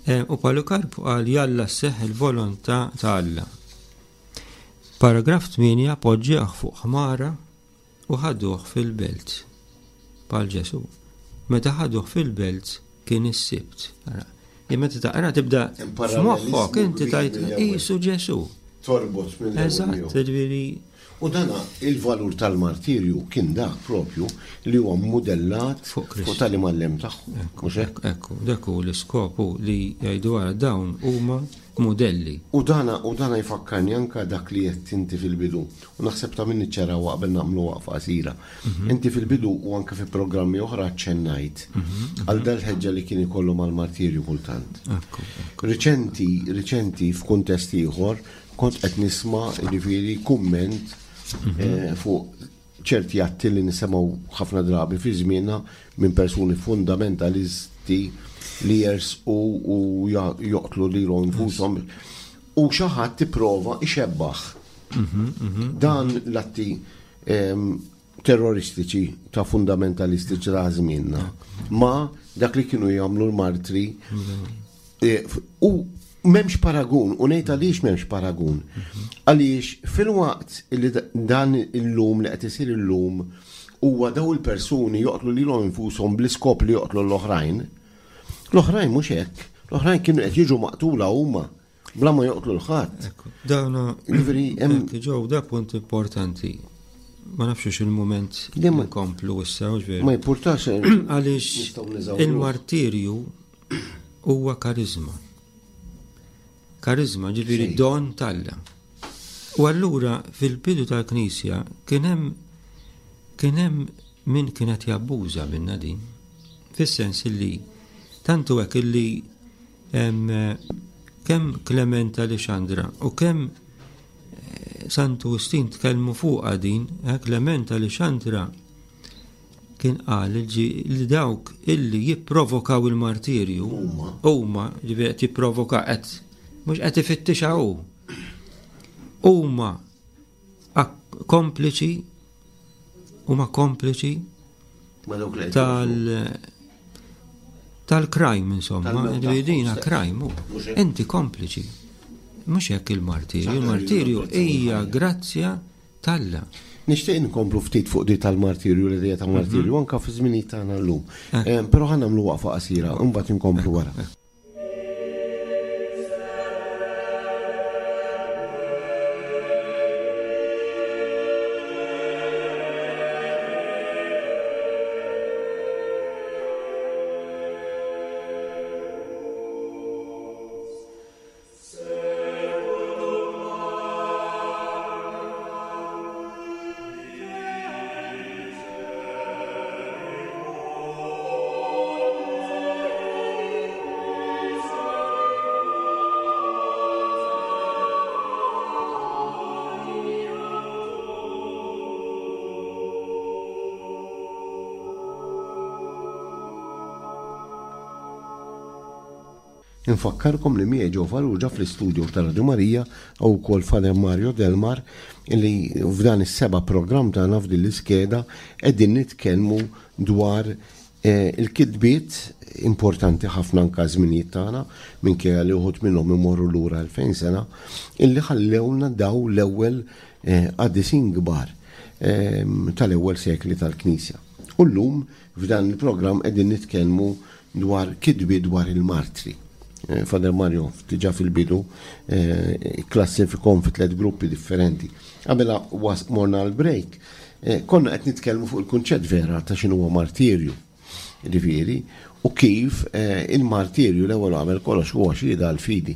Eh, u Polikarpu qal jalla sseħħ il-volontà ta' Alla. Paragraf 8 poġġeħ fuq ħmara u ħaduh fil-belt. Bħal Ġesu. Meta ħaduh fil-belt kien is-Sibt. Meta taqra tibda f'moħħok inti tajt qisu Ġesu. Torbot mill Eżatt, ġifieri. U dana il-valur tal-martirju kien dak propju li huwa modellat fuq tal-imgħallem tagħhom. Mhux hekk? Ekku, dak hu l-iskopu li jgħidu għara dawn huma modelli. U dana u dana jfakkarni anka dak li qed inti fil-bidu. U naħseb ta' min niċċaraw qabel nagħmlu waqfa qasira. Mhm. Inti fil-bidu u anke fi programmi oħra ċennajt mhm, għal dal-ħeġġa li kien ikollu mal-martirju kultant. Riċenti, riċenti f'kuntest ieħor kont qed nisma' jiġifieri kumment mhm. eh, fuq ċerti atti li nisimgħu ħafna drabi fi żmienna minn persuni fundamentalisti li jersqu u joqtlu lilhom infushom u xi ħadd tipprova ixebbaħ mhm, mhm. dan l-atti ehm, terroristiċi ta' fundamentalisti ta' żmienna ma dak li kienu jagħmlu l-martri e, u m'hemmx paragun u ngħid għaliex m'hemmx paragun. Għaliex fil-waqt li dan illum li qed isir illum huwa daw il-persuni joqtlu lilhom infushom bl-iskop li joqtlu l-oħrajn. L-oħrajn mhux hekk, l-oħrajn kienu qed jiġu maqtula huma. Bla ma joqtlu l-ħadd. Dawna, ġifieri hemm ġew da punt importanti. Ma nafx il-mument li ma nkomplu issa, ġifieri. Ma jimpurtax. Eh, Għaliex il-martirju huwa karizma. Karizma ġifieri don talla. U allura fil-bidu tal-Knisja kien hemm kien hemm min kienet jabbuża minna din. Fis-sens illi tantu hekk illi Kemm Klement ta' Lixandra u kemm eh, Santu Wistin tkellmu fuqha din, eh, Klement ta' Lixandra kien qal li dawk illi jipprovokaw il-martirju huma ġifieri qed jipprovoka qed mhux qed ifittixha hu. Huma kompliċi huma kompliċi tal tal-crime insomma, dina crime, inti kompliċi. Mhux hekk il-martirju, il-martirju hija grazzja talla. Nixtieq inkomplu ftit fuq di tal-martirju, l-idea ta' martirju, mhm. anka fi żminijiet tagħna llum. Eh. Eh, però ħa nagħmlu waqfa qasira, imbagħad inkomplu wara. Eh. Infakkarkom li miegħi Joe Farrugia fl-istudio ta' Radio Marija hawn ukoll Father Mario Delmar li f'dan is-seba' programm tagħna f'din l-iskeda qegħdin nitkellmu dwar eh, il-kitbiet importanti ħafna anka żminijiet tagħna minkejja li uħud minnhom imorru lura 2000 sena illi ħallewna daw l-ewwel eh, qaddisin kbar eh, tal-ewwel sekli tal-Knisja. U llum F'dan il-programm qegħdin nitkellmu dwar kitbiet dwar il-martri. Eh, Father Mario diġà fil-bidu eh, klassifikom fi tliet gruppi differenti. Qabel morna l-break, eh, konna qed nitkellmu fuq il-kunċett vera ta' x'inhu martirju. Ġifieri, u kif il-martirju l-ewwel qabel kollox huwa xhieda għall-fidi.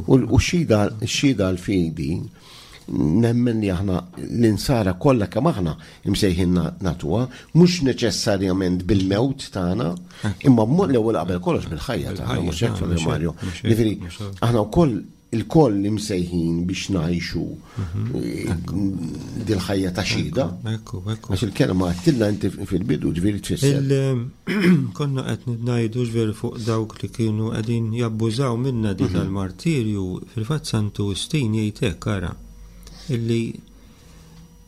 U xhieda għall-fidi Nemmen li aħna l-insara kollha kemm aħna imsejħin nagħtuha, mhux neċessarjament bil-mewt tagħna, imma b'mod l-ewwel qabel kollox bil-ħajja tagħna, mhux hekk Father Mario. Ġifieri aħna wkoll il-koll imsejħin biex ngħixu mhm. eh, dil-ħajja ta' xhieda. Għax il-kelma għattilna inti fil-bidu ġifieri tfisser. Konna qed ngħidu ġifieri fuq dawk li kienu qegħdin jabbużaw minna di mhm. tal-martirju, fil-fatt Santu Wistin jgħid hekk ara illi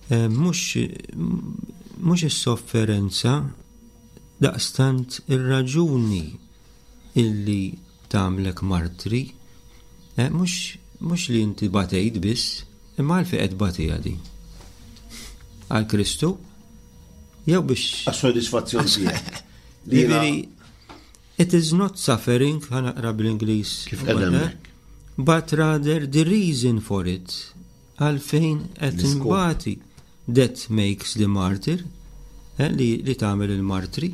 eh, mhux mhux is-sofferenza daqstant ir-raġuni illi tagħmlek martri, eh, mhux mhux li inti batejt biss, imma għalfejn qed tbatija di. Għal Kristu jew biex Għas-sodisfazzjon tiegħek. Jiġifieri, it is not suffering, ħa naqra bl-Ingliż. Kif qed hemmhekk. But rather the reason for it, għalfejn qed inbati, that makes the martyr, eh, li, li tagħmel il-martri.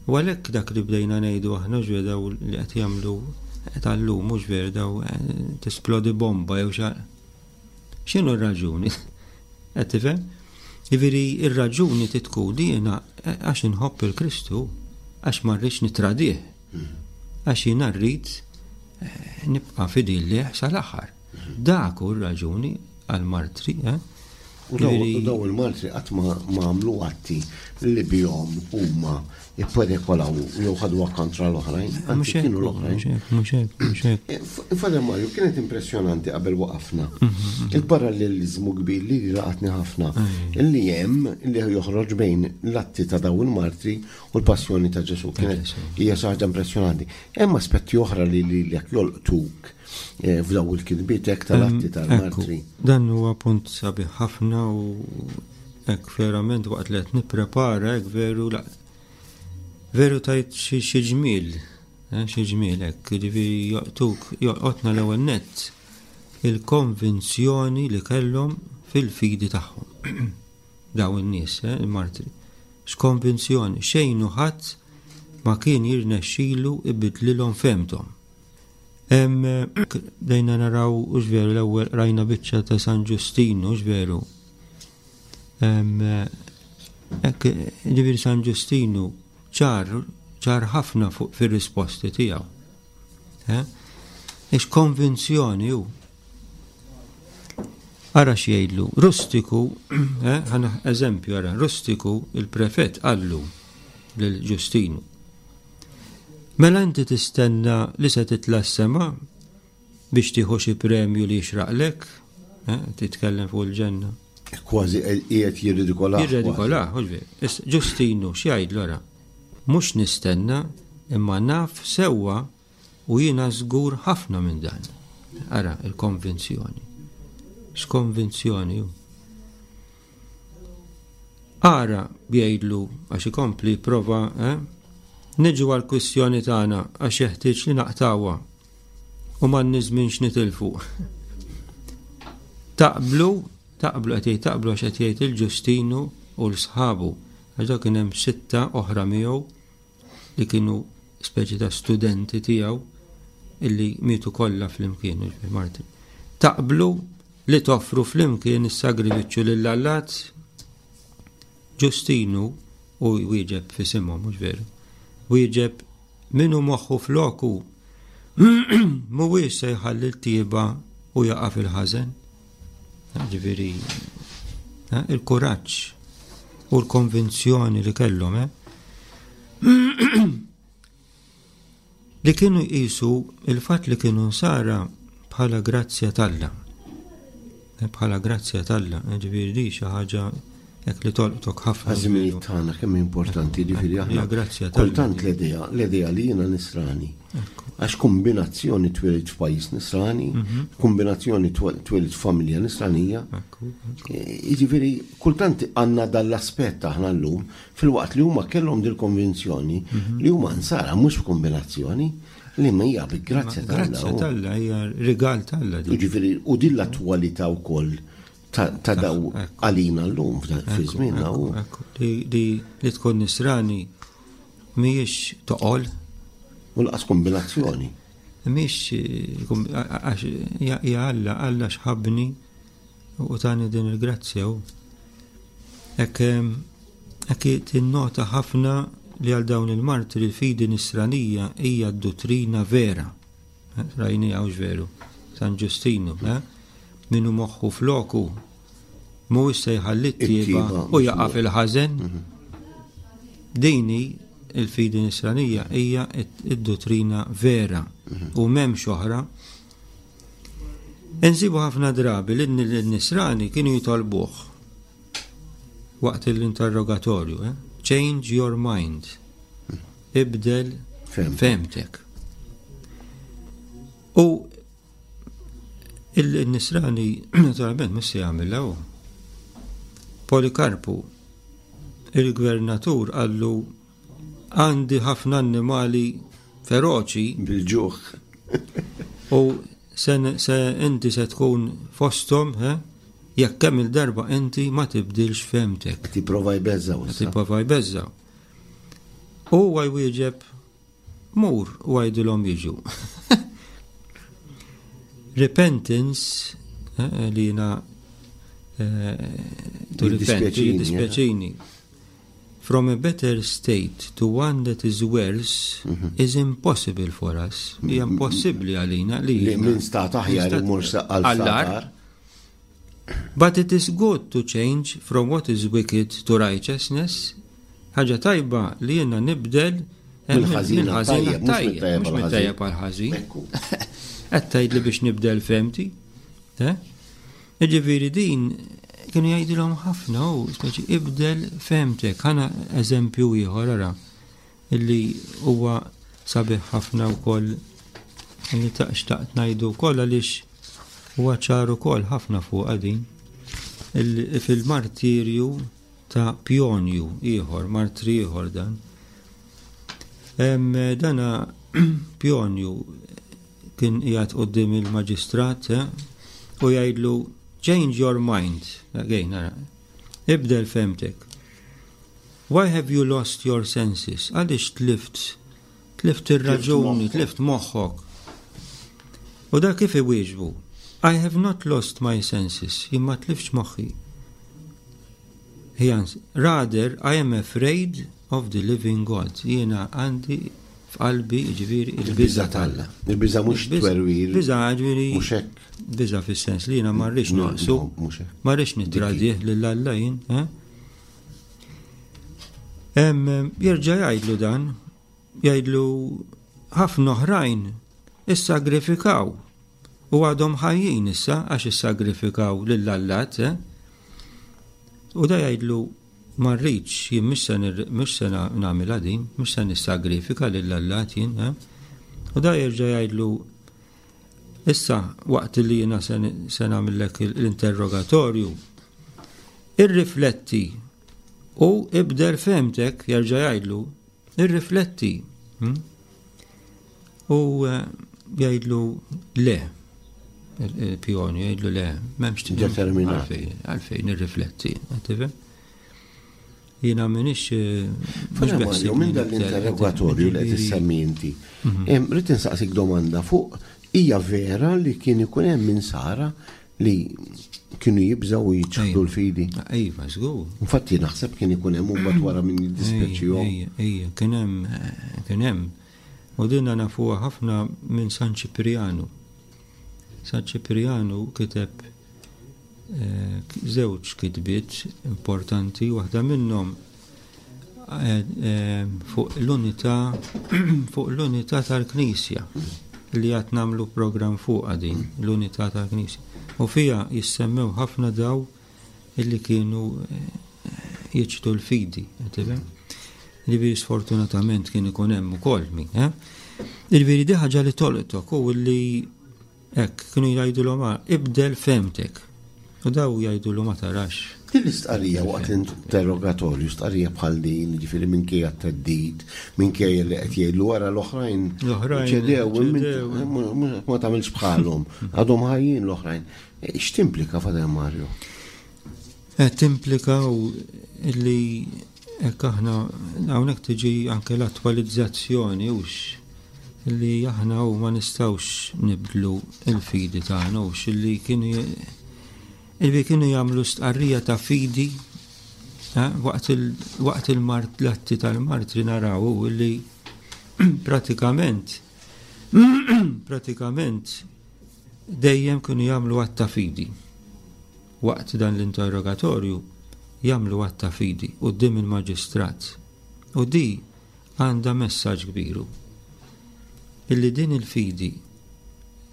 U għalhekk dak li bdejna ngħidu aħna ġwe daw li qed jagħmlu tal-lum mhux ver daw eh, tisplodi bomba jew xa. X'inhu r-raġuni? Qed tifhem? Jiġifieri r-raġuni trid tkun li jiena eh, għax inħobb il-Kristu, għax ma rridx nitradih. Għax jiena rrid eh, nibqa' fidil lih sal-aħħar. Dak hu r-raġuni għall-martri, eh? U daw il-martri qatt ma għamlu atti li bihom huma ipperikolaw jew ħaduha kontra l-oħrajn, anzi kienu l-oħrajn. Mhux hekk, mhux hekk. Eh, Father Mario, kienet impressjonanti qabel waqafna. Mhm, mhm. Il-parallelizmu kbir li laqatni ħafna, illi hemm li joħroġ bejn l-atti ta' daw il-martri u l-passjoni ta' Ġesu. Kienet hija xi ħaġa impressjonanti. Hemm aspetti oħra li li jekk jolqtuk eh, f'daw il-kitbiet hekk tal-atti tal-martri. Dan huwa punt sabiħ ħafna u Hekk verament waqt li qed nipprepara hekk veru la veru tajt xi ġmiel, eh, xi ġmiel hekk, jiġifieri joqtuk jolqotna l-ewwel nett il-konvinzjoni li kellhom fil-fidi tagħhom. Daw in-nies, eh, il-martri. X'konvinzjoni, xejn u ħadd ma kien jirnexxilu ibidlilhom fehmthom. Bdejna naraw, hux veru, l-ewwel qrajna biċċa ta' San Ġustinu, hux veru. Hekk, ġifieri San Ġustinu ċar, ċar ħafna fuq fir-risposti tiegħu. Eh? Ix konvinzjoni hu. Ara x'jgħidlu, Rustiku, eh, ħana eżempju ara, Rustiku il-prefett qallu lil Ġustinu. Mela inti tistenna li se titla' s-sema biex tieħu xi premju li jixraqlek? Eh, titkellem fuq il-ġenna. Kważi qiegħed jirridikolah. Jirridikolah, Ġustinu x'jgħidlu ara? Mhux nistenna, imma naf sewwa u jiena żgur ħafna minn dan. Ara, il-konvinzjoni. X'konvinzjoni hu. Ara, jgħidlu, għax ikompli jipprova, eh? Niġu għall-kwistjoni tagħna għax jeħtieġ li naqtgħuha u m'għandniex żmien x'nitilfu. Taqblu, taqblu qed jgħid taqblu għax qed jgħid il-Ġustinu u l-sħabu għax dak kien hemm sitta oħra miegħu li kienu speċi ta' studenti tiegħu illi mietu kollha flimkien, martri. Taqblu li toffru flimkien is-sagrifiċċju lill-allat? Ġustinu, u jwieġeb f'isimhom, mhux veru, wieġeb min hu moħħu f'loku mhuwiex se jħalli l-tjieba u jaqa' fil-ħażen. Ġifieri, eh, il-kuraġġ u l-konvinzjoni li kellhom, eh? Li kienu jqisu il-fatt li kienu nsara bħala grazzja t'Alla. Bħala grazzja t'Alla, ġifieri di xi ħaġa hekk li tolqtok ħafna. Għaż-żminijiet tagħna kemm importanti ġifieri aħna. Grazzja t'Alla. Kultant l-idea, l-idea li jiena nisrani. Għax kombinazzjoni twilidt f'pajjiż nisrani, mhm. kombinazzjoni twilidt f'familja nisranija. Jiġifieri kultant għandna dal-aspett aħna llum filwaqt li huma kellhom dil-konvinzjoni mhm. li huma nsara mhux f'kombinazzjoni li ma hija bi grazzja t'Alla. Grazzja t'Alla hija rigal t'Alla. Jiġifieri u din l-attwalità wkoll ta' daw għalina llum fi żmienna u. Li tkun nisrani mhijiex toqol. U laqas kombinazzjoni. Mhijiex għax hija Alla, Alla xħabni u tani din il-grazzja u. Hekk hekk tinnota ħafna li għal dawn il-martri l-fidi nisranija hija d-duttrina vera. Rajni hawnx veru. San Ġustinu, eh? Min hu moħħu floku mhuwiex se jħalli t-tjieba u jaqa' fil-ħażen. Mhm. Dini il-fidi nisranija hija id-dottrina vera mhm. u m'hemmx oħra. Insibu ħafna drabi li n-nisrani kienu jitolbuh waqt l-interrogatorju, eh? change your mind, mhm. ibdel femtek. U Il-Nisrani naturalment mhux se jagħmilha hu. Polikarpu, il-gvernatur qallu għandi ħafna annimali feroċi. Bil-ġuħ. U se, se inti se tkun fosthom, he? Jekk kemm il-darba inti ma tibdilx fehmtek. Qed jipprova jbeżżgħu issa. Qed jipprova jbeżżgħu. U huwa jwieġeb Mur u għidilhom jiġu. Repentance, eh, eh, li jina eh, to repent, dispjaċini. From a better state to one that is worse mhm. is impossible for us. Hija impossibbli għalina li. Li minn stat aħjar imur għal But it is good to change from what is wicked to righteousness, ħaġa tajba li jiena nibdel eh, mill-ħażin għat-tajjeb, mhux mit-tajjeb għall-ħażin. Qed tgħidli biex nibdel fehmti. Eh? Jiġifieri din kienu jgħidilhom ħafna u speċi ibdel fehmtek. Ħana eżempju ieħor ara. Illi huwa sabiħ ħafna wkoll li xtaqt ngħidu wkoll għaliex huwa ċar ukoll ħafna fuqha din. Fil-martirju ta' Pjonju ieħor, martri ieħor dan. Dana Pjonju kien qiegħed quddiem il-maġistrat eh, u jgħidlu change your mind. Again, ara, ibdel fehmtek. Why have you lost your senses? Għaliex tlift tlift ir-raġuni, tlift moħħok? U dak kif iwieġbu? I have not lost my senses, jien ma tliftx moħħi. He answered, rather I am afraid of the living God. Jiena għandi f'qalbi ġifieri il-biża' t'Alla. Il-biża' mhux twerwir. Biża' ġifieri. Mhux hekk. Biża' fis-sens li jiena ma rridx noqsu. Ma rridx nittradih lil Alla jien. Eh? Jerġa' jgħidlu dan, jgħidlu ħafna oħrajn issagrifikaw u għadhom ħajjin issa għax issagrifikaw lill-allat. Eh? U da jgħidlu ma rridx, jien mhux se nagħmilha din, mhux se nissagrifika lill-allat jien. Eh? U da jerġa' jgħidlu issa waqt li jiena se nagħmillek l-interrogatorju, Irrifletti u ibdel fehmtek, jerġa' jgħidlu, irrifletti. Hmm? U eh, jgħidlu le. Il-pjoni jgħidlu le, m'hemmx determinat. Għalfejn irrifletti, tifhem? Jiena m'iniex eh, mhux beħsieb. Minn dan l-interrogatorju li qed issemmi inti, mhm. rrid insaqsik domanda fuq hija vera li kien ikun hemm min sara Li kienu jibżgħu u jiċħdu l-fidi. Iva, żgur. Infatti naħseb kien ikun hemm mbagħad wara min jiddispjaċihom. Ejja, kien hemm kien hemm. U dinna nafuha ħafna minn San Ċiprianu. San Ċiprianu kiteb eh, żewġ kitbiet importanti, waħda minnhom. eh, eh, fuq l-unità fuq l-unità tal-Knisja li għad nagħmlu programm fuqha din l-unità tal-Knisja. U fiha jissemmew ħafna daw illi kienu eh, jiċtu l-fidi, tifhem? Ġifieri sfortunatament kien ikun hemm ukoll min, eh? Ġifieri di ħaġa li tolqtok u li hekk kienu jgħidulhom ah, ibdel femtek. U daw jgħidulu ma tarax. Din l-istqarrija waqt l-interrogatorju, stqarrija bħal din, ġifieri minkejja t-theddid, minkejja li qed jgħidlu wara l-oħrajn. L-oħrajn ċedew, ma tagħmilx bħalhom, għadhom ħajjin l-oħrajn. X'timplika Father Mario? Eh, timplika u li hekk aħna hawnhekk tiġi anke l-attwalizzazzjoni hux li aħna u ma nistgħux nibdlu il-fidi tagħna hux li kienu illi kienu jagħmlu stqarrija ta' fidi eh, waqt il-mart l-atti tal-martri naraw li pratikament pratikament dejjem kienu jagħmlu att ta' fidi. Waqt dan l-interrogatorju jagħmlu att ta' fidi quddiem il-maġistrat. U di għandha messaġġ kbir hu. Illi din il-fidi,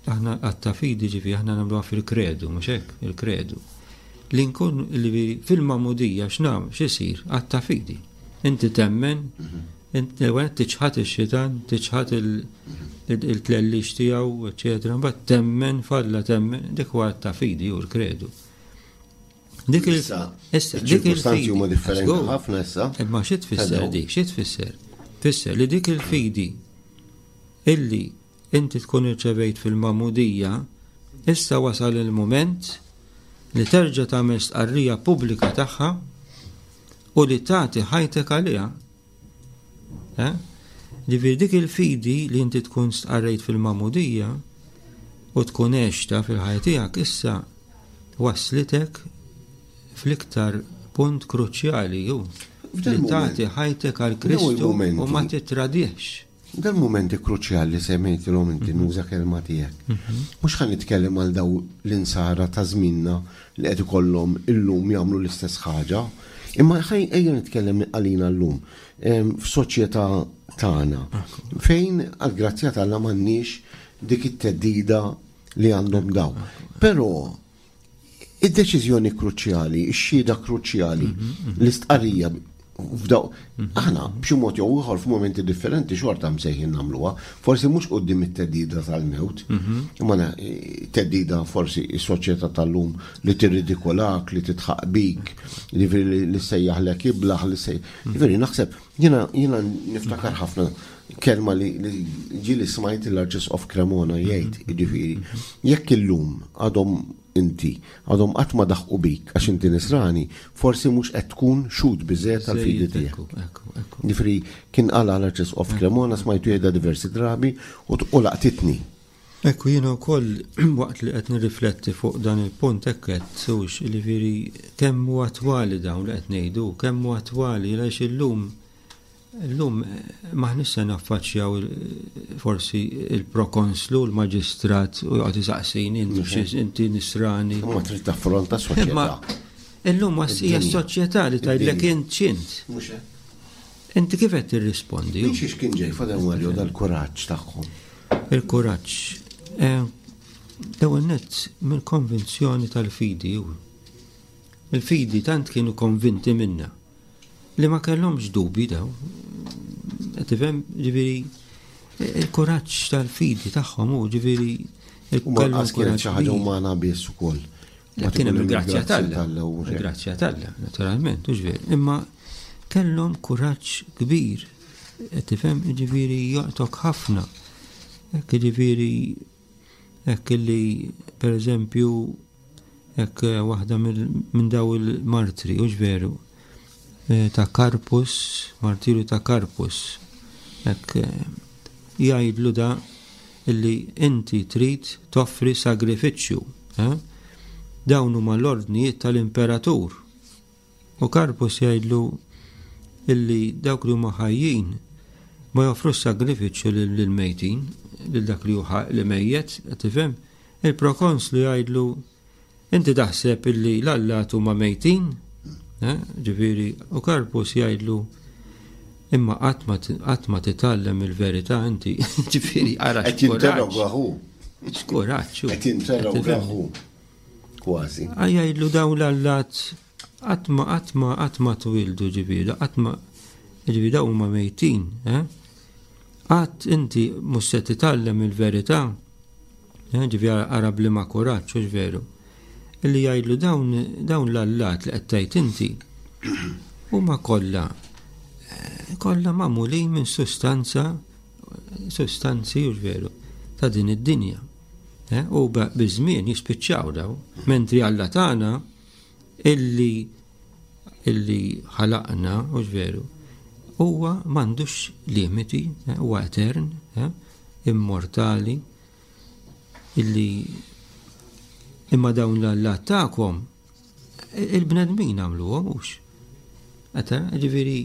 aħna att ta' fidi ġifi aħna nagħmluha fil-kredu, mhux hekk, il-kredu. Li nkun li fil-magħmudija x'nam x'isir att ta' fidi. Inti temmen, L-ewwel tiċħad ix-xitan, tiċħad il-tlellix tiegħu, eċetera, mbagħad temmen falla temmen, dik huwa ta' fidi u l-kredu. Dik il issa dik il-fidi huma differenti ħafna issa. Imma xi tfisser dik, xi tfisser? Tfisser li dik il-fidi illi inti tkun irċevejt fil-magħmudija, issa wasal il-mument li terġa' tagħmel stqarrija pubblika tagħha u li tagħti ħajtek għaliha. Eh? Ġifieri dik il-fidi li inti tkun stqarrejt fil-magħmudija u tkun għexta fil-ħajja tiegħek issa waslitek fl-iktar punt kruċjali hu li tagħti ħajtek għal Kristu u ma titradihx. Dal-mumenti kruċjali li semmejtilhom inti mhm. nuża kelma tiegħek. Mhm. Mhux ħa nitkellem għal daw l-insara ta' żminna li qed ikollhom illum jagħmlu l-istess ħaġa, imma ejja nitkellem għalina llum f'soċjetà tagħna fejn għall-grazzja t'Alla m'għandniex dik it-teddida li għandhom daw. Però Id-deċiżjoni kruċjali, ix-xhieda kruċjali, mhm, mhm. l-istqarrija f'daw. Mhm. Aħna b'xi mod jew ieħor f'mumenti differenti xorta msejħin nagħmluha, forsi mhux quddiem it-teddida tal-mewt, imma teddida forsi s-soċjetà tal-lum li tirridikolak, li titħaq bik, li sejjaħlek iblaħ, li sej. Ġifieri naħseb jiena jiena niftakar ħafna kelma li ġieli smajt l-Arċisqof Cremona jgħid, jiġifieri, jekk illum għadhom inti, għadhom qatt ma daħqu bik għax inti nisrani, forsi mhux qed tkun xhud biżżejjed tal-fidi tiegħek. Jiġifieri kien qalha l-Arċisqof Cremona smajtu jgħidha diversi drabi u laqtitni. Ekku jiena wkoll waqt li qed nirrifletti fuq dan il-punt hekk qed hux, jiġifieri kemm hu attwali dawn li qed ngħidu, kemm hu attwali għaliex illum Illum m'aħniex se naffaċċjaw forsi il-prokonslu, l-maġistrat u joqgħod isaqsini inti nisrani. Ma trid taffronta s-soċjetà. Illum hija s-soċjetà li tgħidlek int x'int. Inti kif qed tirrispondi? Minn xiex kien ġej Father Mario dal-kuraġġ tagħhom? Il-kuraġġ. Eh, l-ewwel nett mill-konvinzjoni tal-fidi. Il-fidi tant kienu konvinti minna. Li ma kellhomx dubji daw. Qed tifhem? Ġifieri il-kuraġġ tal-fidi tagħhom hu ġifieri U ma qas kienet xi ħaġa umana biss ukoll. Kien hemm il-grazzja t'Alla. Il-grazzja t'Alla, naturalment, u ġifieri. Imma kellhom kuraġġ kbir. Qed tifhem? Ġifieri joqtok ħafna. Hekk ġifieri hekk illi pereżempju Hekk waħda minn daw il-martri, hux veru, eh, ta' Karpus, martirju ta' Karpus. Hekk eh, jgħidlu da illi inti trid toffri sagrifiċċju. Eh? Dawn huma l-ordnijiet tal-imperatur. U Karpus jgħidlu illi dawk li huma ħajjin ma joffrux sagrifiċċju lill-mejtin, lil dak li hu li mejjet, tifhem? Il-prokonslu jgħidlu, Inti taħseb illi l-allat huma mejtin? Eh, ġifieri, u Karpus jgħidlu, Imma qatt ma qatt ma titgħallem il-verità inti, ġifieri ara Qed jinterroga hu. X'kuraġġ. Qed jinterroga hu. Kważi. Jgħidlu dawn l-allat qatt ma qatt ma qatt ma twildu ġifieri, qatt ma ġifieri dawn huma mejtin, eh? Qatt inti mhux se titgħallem il-verità, eh, ġifieri ara b'liema kuraġġ, hux veru. Illi jgħidlu dawn dawn l-allat li qed tgħid inti huma kollha eh, kollha magħmulin minn sustanza sustanzi hux veru ta' din id-dinja. Eh, u biż-żmien jispiċċaw daw, mentri Alla tagħna illi illi ħalaqna, hux veru, huwa m'għandux limiti, eh, huwa etern, immortali, illi imma dawn l-allat tagħkom il-bnedmin għamluhom hux. Għata, ġifieri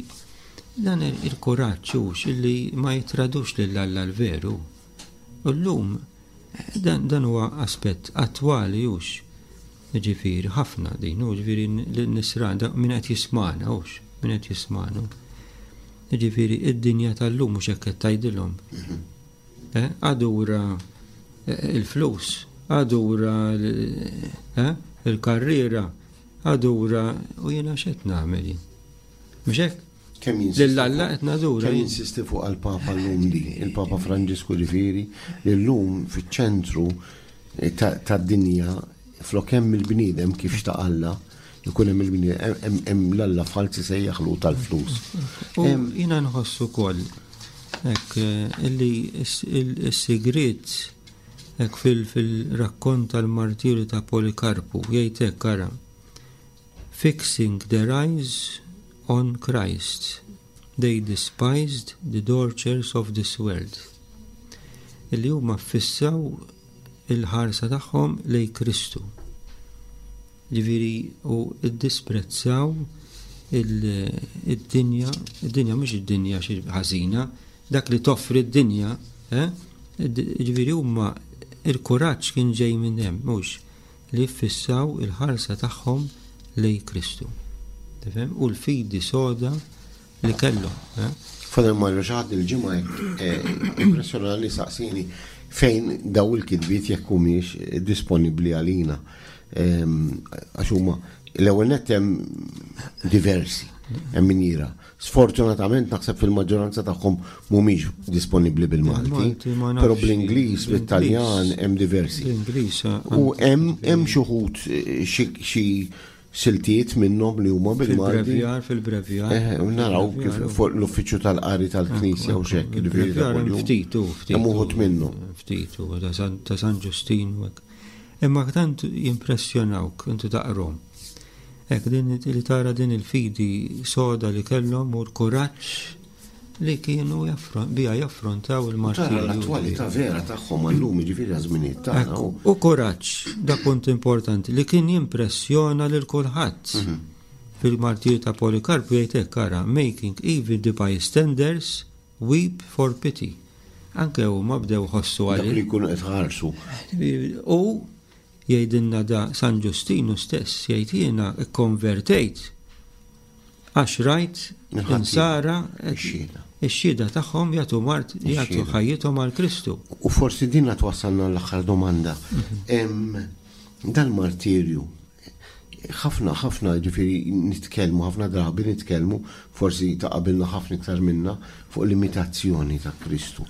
dan il-kuraġġ hux illi ma jitradux lil Alla l-veru. U llum dan, dan huwa aspett attwali hux. Ġifieri ħafna din, u ġifieri l-nisran min qed jismana hux, min qed jismana. Ġifieri id-dinja tal-lum mhux hekk qed tgħidilhom. Mhm. Eh, adura eh, il-flus, adura eh, il-karriera, adura u jiena x'qed nagħmel jien. Mhux hekk? Kemm Lil Alla qed nadura. Kemm jinsisti fuq għall-Papa llum di, il-Papa Franġisku ġifieri, li llum fiċ-ċentru tad-dinja flok hemm il-bniedem kif xtaq Alla, Ikun hemm il-bniedem, hemm l-alla falz isejjaħlu tal-flus. U jiena nħoss ukoll hekk eh, illi s-sigriet hekk fil-rakkont tal-martirju ta' Polikarpu jgħid hekk ara fixing their eyes on Christ they despised the tortures of this world illi huma fissaw il-ħarsa tagħhom lej Kristu. Ġifieri u ddisprezzaw id-dinja, id-dinja mhux id-dinja xi ħażina, dak li toffri d-dinja, eh? Ġifieri huma il-kuraġġ kien ġej minn hemm, mhux li jiffissaw il-ħarsa tagħhom lej Kristu. Tifhem? U l-fidi soda li kellhom. Eh? Father Mario xi ħadd il-ġimgħa hekk eh, impressjonali saqsini fejn daw il-kitbiet jekk humiex disponibbli għalina. Ehm, għax huma l-ewwel nett hemm diversi hemm min jira. Sfortunatament naħseb fil-maġġoranza tagħhom mhumiex disponibbli bil-Malti, però bl-Ingliż, bit-Taljan hemm diversi. Eh, U hemm xi wħud eh, xi siltiet minnhom li huma bil-Malti. Fil-brevjar, fil-brevjar. Eh, naraw kif fuq l-uffiċċju tal-qari tal-Knisja u xekk, ġifieri ta' kuljum. Ftit, u ftit. Hemm uħud minnhom. Ftit, u ta' San Ġustin u hekk. Imma tant jimpressjonawk inti taqrom. Hekk din li tara din il-fidi soda li kellhom u l-kuraġġ li kienu bija jaffrontaw il-martirju. L-attwalità vera tagħhom għallum jiġifieri għaż-żminijiet tagħna. U kuraġġ, da punt importanti, li kien jimpressjona lil kulħadd. Mhm. Fil-martirju ta' Polikarpu jgħid hekk ara, making even the bystanders weep for pity. Anke huma bdew ħossu għalih. Dak li jkunu qed ħarsu. U jgħidilna da San Ġustinu stess, jgħid jiena kkonvertejt Għax rajt insara ix-xhieda tagħhom jagħtu mart jagħtu ħajjithom għal Kristu. U forsi dinna twassalna l-aħħar domanda. Mhm. Dal-martirju ħafna ħafna ġifieri nitkellmu ħafna drabi nitkellmu forsi ta' qabilna ħafna iktar minna fuq l-imitazzjoni ta' Kristu.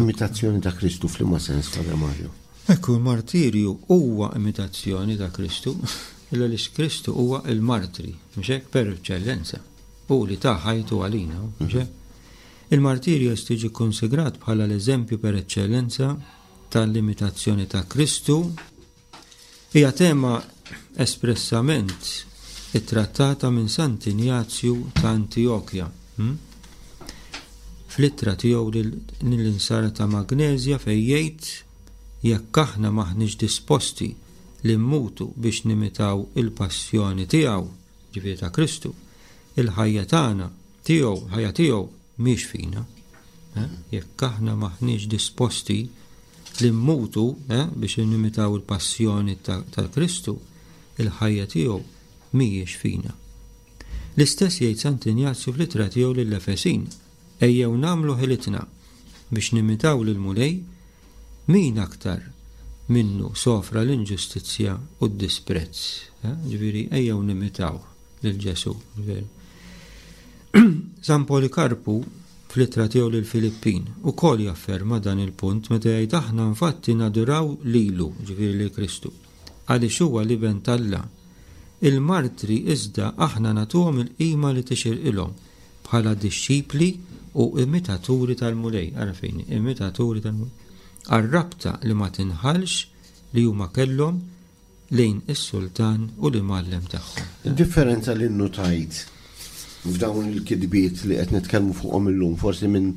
Imitazzjoni ta' Kristu f'liema sens, Padre Mario? Ekku, l-martirju huwa imitazzjoni ta' Kristu, illa li Kristu huwa il-martri, mhux hekk per eċċellenza. Hu li ta ħajtu għalina, mhux hekk? Il-martirju tiġi konsigrat bħala l-eżempju per eċċellenza tal-imitazzjoni ta' Kristu. Hija tema espressament ittrattata minn Sant'Injazju ta' Antijokja. Hm? Fl-ittra tiegħu lill-insara ta' Magneżja fejn jgħid jekk aħna m'aħniex disposti li mmutu biex nimitaw il-passjoni tiegħu, ġifieri ta' Kristu, il-ħajja tagħna tiegħu, ħajja tiegħu mhix fina. Eh? Jekk aħna m'aħniex disposti li mmutu eh, biex nimitaw il-passjoni tal-Kristu, il-ħajja tiegħu mhijiex fina. L-istess jgħid Sant'Injazju fl-ittra tiegħu lill-Efesin, Ejjew nagħmlu ħilitna biex nimitaw lill-Mulej, min aktar minnu sofra l-inġustizzja u d-disprezz. Ġifieri ejjew nimitaw lil Ġesù. San Polikarpu fl-ittra tiegħu lill-Filippin ukoll jafferma dan il-punt meta jgħid aħna infatti naduraw lilu, ġifieri lil Kristu, għaliex huwa l-Iben t'Alla. Il-martri iżda aħna nagħtuhom il-qima li tixirqilhom bħala dixxipli u imitaturi tal-Mulej, ara fejn, imitaturi tal-Mulej, għar-rabta li ma tinħallx li huma kellhom lejn is-Sultan u l-Imgħallem tagħhom. Id-differenza li nnutajt f'dawn il-kitbiet li qed nitkellmu fuqhom illum, forsi minn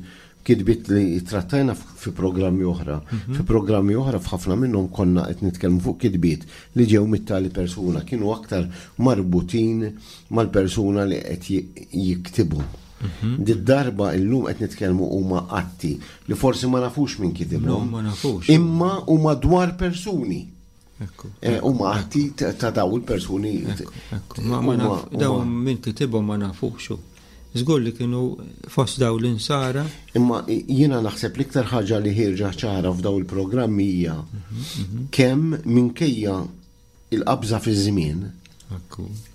kitbiet li trattajna fi programmi oħra. Fi programmi oħra f'ħafna minnhom konna qed nitkellmu fuq kitbiet li ġew mit-tali persuna, kienu aktar marbutin mal-persuna li qed jiktibhom. Did-darba illum qed nitkellmu huma atti li forsi ma nafux min kitibhom. Ma nafux. Imma huma dwar persuni. Eh, huma atti ta' daw il-persuni. Daw min kitibhom ma nafux. Żgur li kienu fost daw l-insara. Imma jiena naħseb l-iktar ħaġa li ħierġa ċara f'daw il-programmi hija kemm minkejja il-qabża fiż-żmien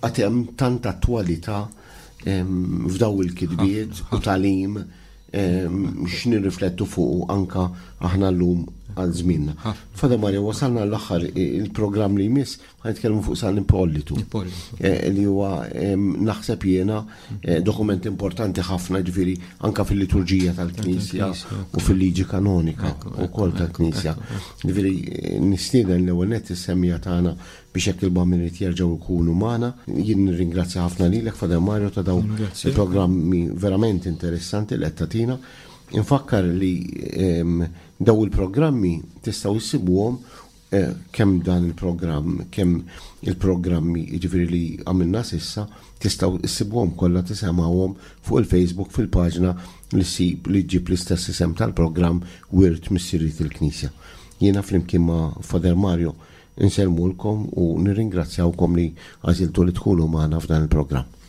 għad hemm tant attwalità f'daw il-kitbiet u tagħlim x'nirriflettu fuqu anka aħna llum għal żmienna. Father Mario, wasalna l-aħħar il-programm li jmiss ħa nitkellmu fuq San Ippolitu. Eh, li huwa naħseb jiena eh, dokument importanti ħafna ġifieri anka fil-liturġija tal-Knisja u fil-liġi kanonika ukoll tal-Knisja. Ġifieri eh, nistieden l-ewwel nett is-semmija tagħna biex jekk il-bambin irid jerġgħu jkunu magħna. Jien nirringrazzja ħafna lilek Father Mario ta' dawn il-programmi verament interessanti li qed tagħtina. Infakkar li ehm, daw il-programmi tistgħu issibuhom eh, kemm dan il-programm, kemm il-programmi jiġifieri li għamilna sissa, tistgħu issibuhom kollha tisemgħuhom fuq il-Facebook fil-paġna li ssib li ġġib l-istess isem tal-programm Wirt Missiriet il-Knisja. Jiena flimkien ma' Father Mario Insellmulkom u nirringrazzjawkom li għażiltu li tkunu magħna f'dan il-programm.